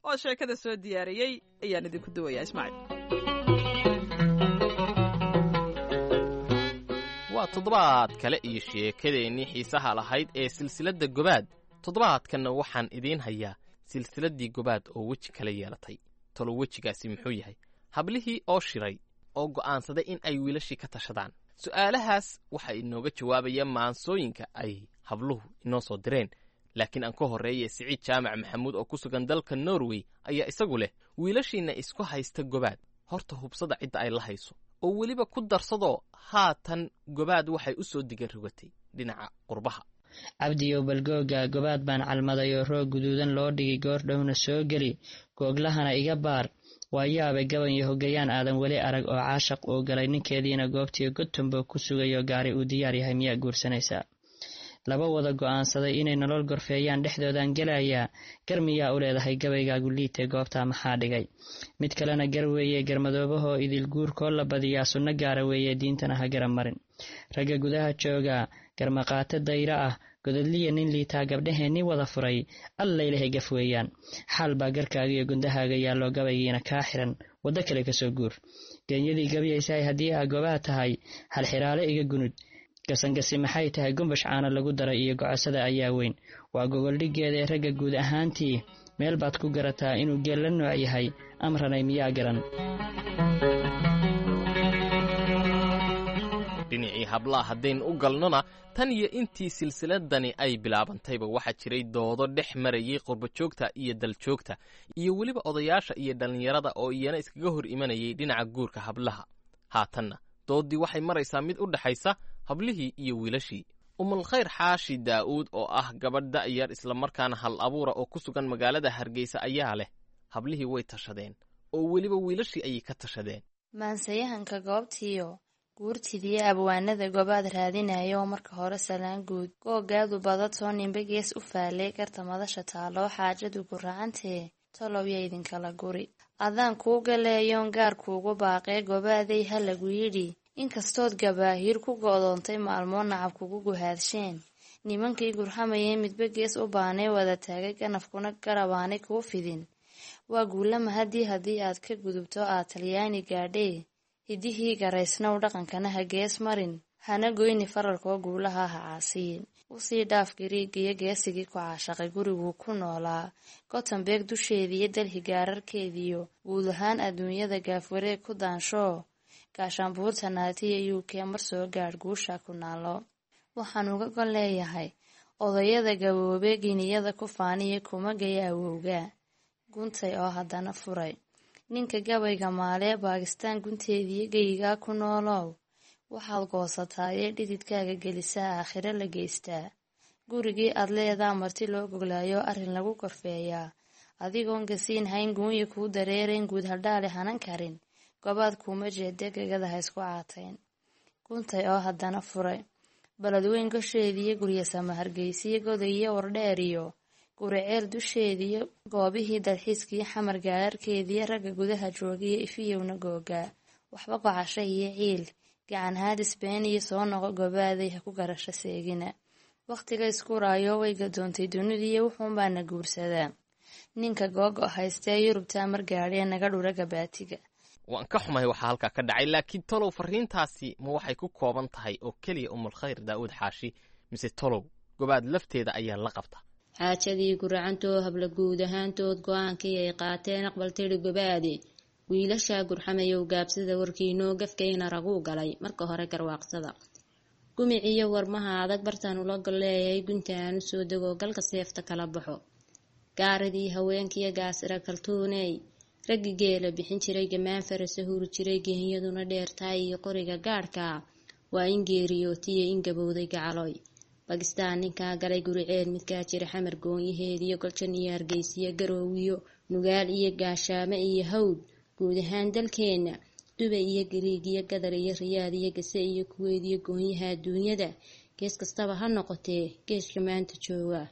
oo sheekada soo diyaariyey ayaan idinku duwayaa. Ismaaciil. Waa toddobaad kale iyo sheekadeennii xiisaha lahayd ee silsiladda Gobaad. Toddobaadkanna waxaan idiin hayaa silsiladdii Gobaad oo weji kala yeelatay. Talo wejigaasi muxuu yahay? Hablihii oo shiray oo go'aansaday in ay wiilashii ka tashadaan. Su'aalahaas waxaa inooga jawaabaya maansooyinka ay habluhu inoo soo direen. Laakiin aan ka horreeye, Siciid Jaamac Maxamuud oo ku sugan dalka Norway ayaa isagu leh: wiilashiinna isku haysta Gobaad, horta hubsada cidda ay la hayso, oo weliba ku darsadoo haatan Gobaad waxay u soo diga rogatay dhinaca qurbaha. Cabdiyow balgooga Gobaad baan calmaday oo roog guduudan loo dhigi, goor dhowna soo geli, googlahana iga baar. Waa yaabay gaban iyo hogayaan aadan weli arag oo caashaq uu galay, ninkeediina goobtiyo Godtombo ku sugayo, gaari uu diyaar yahay, miyaa guursanaysaa? Laba wada go'aansaday inay nolol gorfeeyaan dhexdoodaan gelayaa, gar miyaa u leedahay gabaygaagu liitee, goobtaa maxaa dhigay? Mid kalena gar weeye, garmadoobahoo idil guurkoo la badiyaa sunno gaara weeye, diintana ha garan marin. Ragga gudaha joogaa garmaqaato dayro ah, godadliya nin liitaa gabdhaheenni wada furay, allaylahay gaf weeyaan. Xaal baa garkaaga iyo gundahaaga yaalloo gabaygiina kaa xiran, waddo kale kasoo guur. Geenyadii gabyaysahay, haddii aa gobaha tahay halxiraale iga gunud. Gasangasi maxay tahay? Gumbash caana lagu daray iyo gocosada ayaa weyn, waa gogoldhigeeda ee ragga guud ahaantii meel baad ku garataa inuu geel la nooc yahay. Amranay miyaa garan? Dhinacii hablaha haddaynu u galnona, tan iyo intii silsiladani ay bilaabantayba waxaa jiray doodo dhex marayay qurbajoogta iyo daljoogta iyo weliba odayaasha iyo dhallinyarada oo iyana iskaga hor imanayay dhinaca guurka hablaha. Haatanna dooddii waxay maraysaa mid u dhexaysa hablihii iyo wiilashii. Umulkhayr Xaashi Daa'uud oo ah gabadh da'yar islamarkaana hal abuura oo ku sugan magaalada Hargeysa ayaa leh: hablihii way tashadeen oo weliba wiilashii ayay ka tashadeen. Maansayahanka goobtiiyo guurtidiyo abwaanada Gobaad raadinaya oo marka hore salaan guud googaadu badatoo ninba gees u faalay, garta madasha taaloo xaajadu guracantee, tolow ya idinkala guri adaan kuu galeeyoon gaar kuugu baaqee. Gobaaday ha lagu yidhi, inkastood gabaahiir ku go'doontay maalmoo nacab kugu guhaadsheen, nimankii gurxamayee midba gees u baanay wada taagay ganafkuna garabaanay kuu fidin, waa guulama haddii aad ka gudubto aad Talyaani gaadhee. Hidihii garaysnow, dhaqankana ha gees marin, hana goyni fararkoo guulaha ha caasiyin. Usii dhaaf Gariigiyo geesigii ku caashaqay guriguu ku noolaa Gotemberg dusheediiyo Delhi gaararkeediyo guud ahaan adduunyada gaafwareeg ku daanshoo, gaashaanbuurta Naatiya UK mar soo gaadh, guusha ku naalo. Waxaan uga gol leeyahay odayada gaboobe giniyada ku faaniya kuma gaya awowga guntay oo haddana furay ninka gabayga maalee Baakistaan gunteediyo geyigaa ku noolow. Waxaad goosataayee dhididkaaga gelisaa aakhiro la geystaa, gurigii aad leedaa marti loo goglaayo arrin lagu korfeeyaa, adigoon gasiin hayn, guunya kuu dareerayn, guud haldhaale hanan karin, Gobaad kuuma jeede, gegada ha isku caatayn. Guntay oo haddana furay Baladweyn gosheediyo Guryasama Hargeysiyo Godayiyo Wardheeriyo Guriceel dusheediyo goobihii dalxiiskiyo Xamar gaararkeediyo ragga gudaha joogiyo ifiyowna googaa waxba gocasho iyo ciil gacan haadis been iyo soo noqo. Gobaaday ha ku garasho seegina, wakhtiga iskuraayo way gadoontay dunidiiyo wuxuunbaana guursadaa ninka googo haystee Yurubtaa mar gaadhee naga dhura gabaatiga. Waan ka xumahay waxaa halkaa ka dhacay, laakiin tolow farriintaasi ma waxay ku kooban tahay oo keliya Umulkhayr Daa'uud Xaashi, mise tolow Gobaad lafteeda ayaa la qabta? Xaajadii guracantoo habla guud ahaantood go-aankii ay qaateen aqbal tiri Gobaade. Wiilashaa gurxamayow, gaabsada warkiinoo gafkayna raguu galay marka hore garwaaqsada. Gumiciyo warmaha adag bartaan ula golleeyay, gunta aan u soo dego, galka seefta kala baxo. Gaaradii haweenkiyo gaasira kaltuuney, raggi geela bixin jiray, gamaan farasa huri jiray, gehinyaduna dheertaay iyo qoriga gaadhka, waa in geeriyootiyo in gabowday gacaloy. Bakistaan ninkaa galay, Guriceel midkaa jira, Xamar goonyaheediyo Goljan iyo Hargeysiyo Garoowiyo Nugaal iyo Gaashaamo iyo Hawd, guud ahaan dalkeenna, Dubay iyo Gariig iyo Gadar iyo Riyaad iyo Gase iyo Kuweyd iyo goonyaha adduunyada, gees kastaba ha noqotee geeska maanta jooga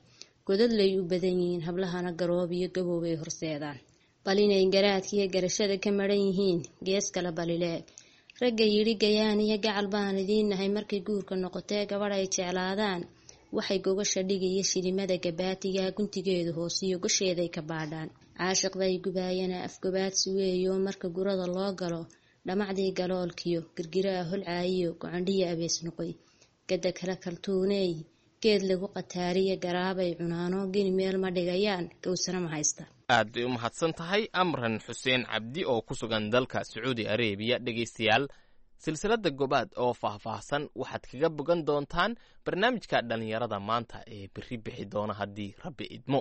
godadlay u badan yihiin, hablahana garoob iyo gaboobay horseedaan. Bal inay garaadkiiyo garashada ka maran yihiin gees kale balileeg. Ragga yidhi gayaan iyo gacal baan idiin nahay markay guurka noqotee gabadh ay jeclaadaan, waxay gogasha dhigiyo shilimada gabaatiga guntigeedu hoosiyo gosheeday ka baadhaan. Caashiqday gubaayana afgobaadsi weeyo, marka gurada loo galo Dhamacdii galoolkiyo girgiraha holcaayiyo gocandhiya abees noqoy, gada kala kaltuuneey, geed lagu qataariya garaabay cunaano, geni meel ma dhigayaan, gowsana ma haysta. Aad bay u mahadsan tahay Amran Xuseen Cabdi oo ku sugan dalka Sacuudi Arebiya. Dhegaystayaal, silsiladda Gobaad oo faahfaahsan waxaad kaga bogan doontaan barnaamijka dhallinyarada maanta ee berri bixi doona haddii Rabbi idmo.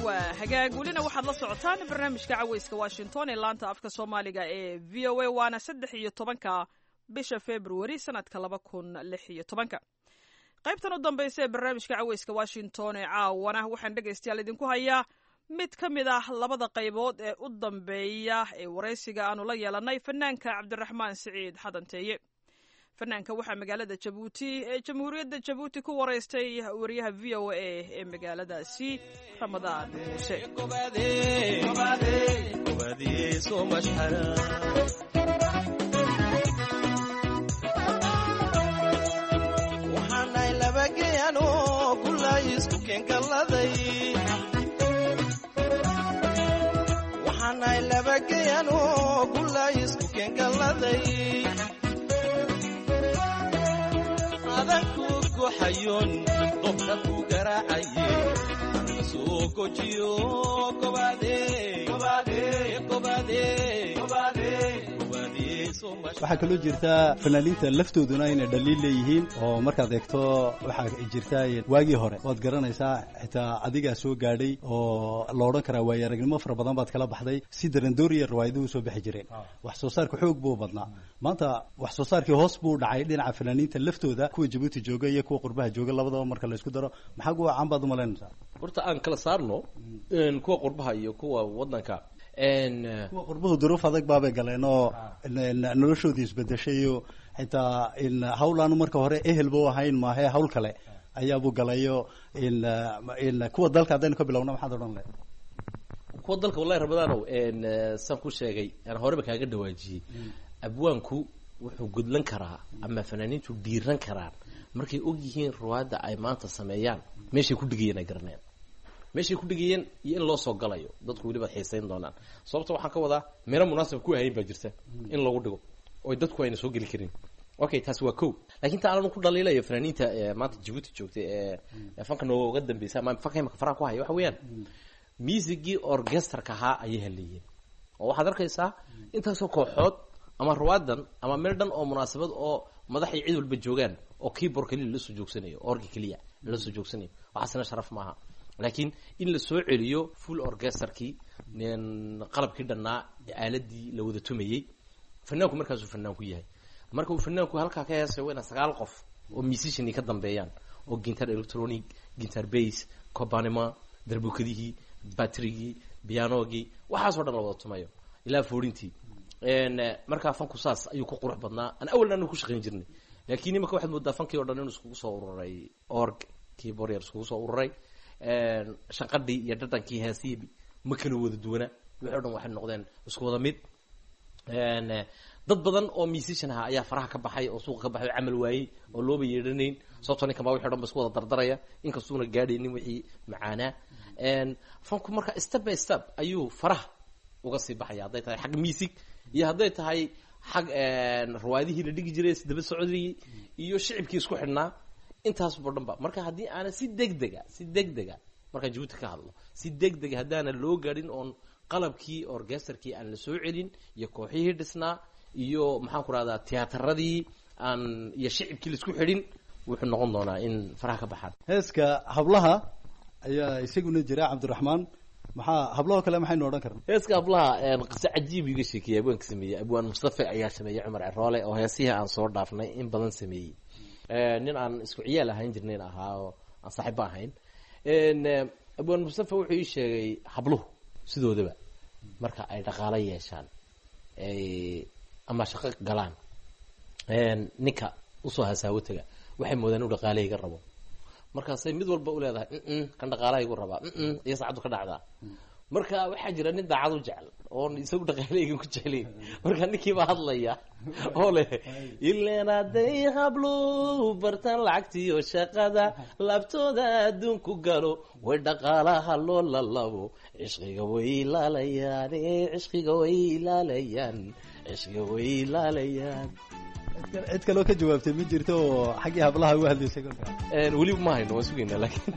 Waa hagaag, welina waxaad la socotaan barnaamijka Caweyska Washington ee laanta afka Soomaaliga ee VOA, waana 13-ka bisha Februari sanadka 2016. Qaybtan u dambaysa ee barnaamijka Caweyska Washington ee caawana waxaan dhegaystayaal idinku hayaa mid ka mid ah labada qaybood ee u dambeeya ee waraysiga aanu la yeelanay fanaanka Cabdiraxmaan Siciid Xadanteeye. Fanaanka waxaa magaalada Jabuuti ee Jamhuuriyadda Jabuuti ku waraystay wariyaha VOA ee magaaladaasi, Ramadaan Muuse. Waxaanay labageyanoo gulay isku keengalladay. Waxaanay labageyanoo gulay isku keengalladay. Adanku goxayoon dobka ku garaacaye soo gojiyo gobaade gobaade gobaade. Waxaa kaloo jirta fanaaniinta laftooduna inay dhaliil leeyihiin, oo markaad eegto waxaa jirta waagii hore waad garanaysaa, xitaa adigaa soo gaadhay oo la odhan karaa waayo aragnimo fara badan baad kala baxday. Si darandooriya riwaayaduhu soo bixi jireen, wax soo saarka xoog buu badnaa. Maanta wax soo saarkii hoos buu dhacay dhinaca fanaaniinta laftooda, kuwa Jabuuti jooga iyo kuwa qurbaha jooga labadaba marka la isku daro. Maxaa kuwa caan baad umalaynaysaa? Horta aan kala saarno kuwa qurbaha iyo kuwa waddanka. Kuwa qurbuhu duruuf adag baabay galeen oo noloshoodii isbedeshay, iyo xitaa hawl aanu marka hore ehelba u ahayn maahe hawl kale ayaabuu galayo. Kuwa dalka haddaynu ka bilowna, maxaad odhan lahayd? Kuwa dalka, wallahi Ramadaanow, saan ku sheegay aan horeba kaaga dhawaajiyey, abwaanku wuxuu gudlan karaa ama fanaaniintu dhiiran karaan markay og yihiin ruwaadda ay maanta sameeyaan meeshay ku dhigayeen ay garanayaan meeshay ku dhigayeen iyo in loo soo galayo, dadku weliba xiisayn doonaan. Sababta waxaan ka wadaa meelo munaasab ku ahayn baa jirta in lagu dhigo oo dadku ayna soo geli karin. Okay, taasi waa ko. Laakiin ta aanan ku dhaliilayo fanaaniinta maanta Jabuuti joogtay ee fanka nooga dambeysa ama fanka imaka faraha ku haya waxa weeyaan muusigii orchestrka ahaa ayay haleeyeen, oo waxaad arkaysaa intaasoo kooxood ama ruwaadan ama meel dhan oo munaasabad oo madax iyo cid walba joogaan oo keyboard keliya lasoo joogsanayo, orgi keliya lasoo joogsanayo. Waxaasna sharaf maaha, laakiin in la soo celiyo full orchestrkii, qalabkii dhannaa, aaladii la wada tumayey. Fanaanku markaasuu fanaanku yahay. Marka uu fanaanku halkaa ka heesayo waa inaa 9 qof oo musician ka dambeeyaan, oo guitar electronic, guitar bass, cobanima, darbukadihii, batrigii, pianogii, waxaasoo dhan la wada tumayo ilaa foorintii. Markaa fanku saas ayuu ku qurux badnaa aan awalna anu ku shaqayn jirnay, laakiin imaka waxaad moodaa fankii o dhan inuu iskugu soo ururay org keyboard yar iskugu soo ururay. Shanqadhii iyo dhadhankii heesihii ma kala wada duwana, wixii o dhan waxay noqdeen isku wada mid. Dad badan oo musician aha ayaa faraha ka baxay oo suuqa ka baxay oo camal waayey oo looba yeedhanayn, sababtoo ninkan baa wixi o dhan ba isku wada dardaraya inkastuuna gaadhaynin wixii macaanaa. Fanku marka step by step ayuu faraha uga sii baxaya, hadday tahay xag music iyo hadday tahay xag riwaayadihii la dhigi jiray daba socodii iyo shicibkii isku xidhnaa, intaasbo dhan ba. Marka haddii aana si degdega, si degdega markaan Jabuuti ka hadlo, si degdega haddaana loo gaadhin oon qalabkii orchesterkii aan la soo celin iyo kooxihii dhisnaa iyo maxaan ku rahdaa tiyaataradii aan iyo shicibkii laisku xidhin, wuxuu noqon doonaa in faraha ka baxaan. Heeska hablaha ayaa isaguna jira. Cabdiraxmaan, maxaa hablahoo kale maxaynu odhan karna? Heeska hablaha qiso cajiib iga sheekeeyey abwaanka sameeyey, abwaan Mustafe ayaa sameeyey, Cumar Ceroole, oo heesihii aan soo dhaafnay in badan sameeyey, nin aan isku ciyaal ahayn jirnayn ahaa oo aan saaxiibba ahayn. Abwaan Mustafe wuxuu ii sheegay habluhu sidoodaba marka ay dhaqaalo yeeshaan ama shaqo galaan, ninka usoo hasaawo taga waxay moodaan inuu dhaqaalahayga rabo. Markaasay mid walba u leedahay kan dhaqaalahaygu rabaa, iyo saacaddu ka dhacdaa. Marka waxaa jira nin daacad u jecel oon isagu dhaqaaleygan ku jeclayn. Marka ninkii baa hadlaya oo leh, ileen hadday hablu bartaan lacagtiyo shaqada, laabtooda adduunku galo, way dhaqaalaha loo lalabo, cishqiga way ilaalayaan, cishqiga way ilaalayaan, cishqiga way ilaalayaan. Cid kaloo ka jawaabtay ma jirto oo xaggii hablaha uga hadlaysay kolka? Weli ma hayno, waan sugaynaa laakiin.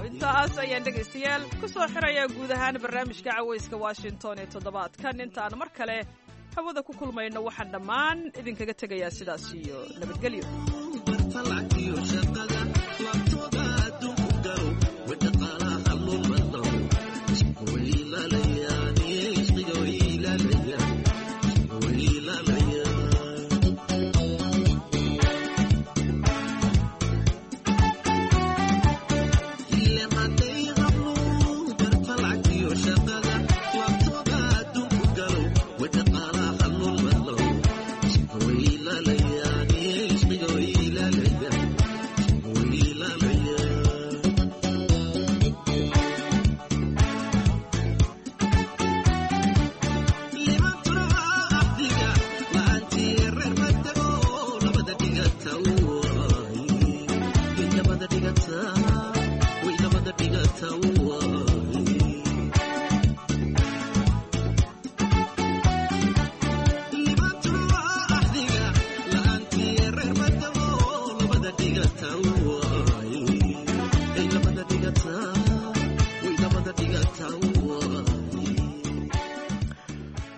Intaas ayaan dhegaystayaal ku soo xirayaa guud ahaan barnaamijka Cawayska Washington ee toddobaadkan. Intaan mar kale hawada ku kulmayno, waxaan dhammaan idinkaga tegayaa sidaas iyo nabadgelyo.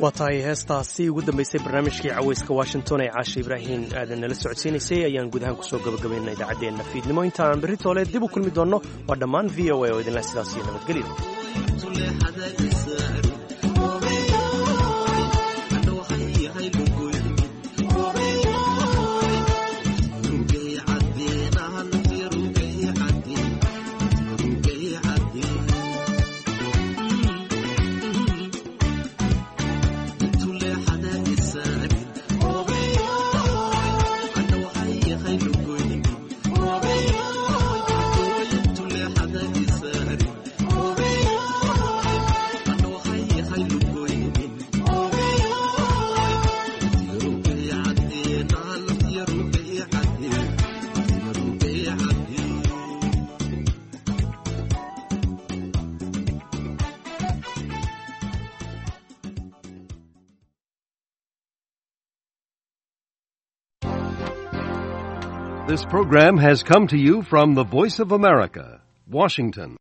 Waa tahay, heestaasi ugu dambaysay barnaamijkii Cawayska Washington ee Caasha Ibraahin aadan nala socodsiinaysay ayaan guud ahaan kusoo gabagabaynaa idaacaddeenna fiidnimo. Inta aan berri toole dib u kulmi doonno, waa dhammaan VOA oo idinleh sidaas iyo nabadgelyo. This program has come to you from the Voice of America, Washington.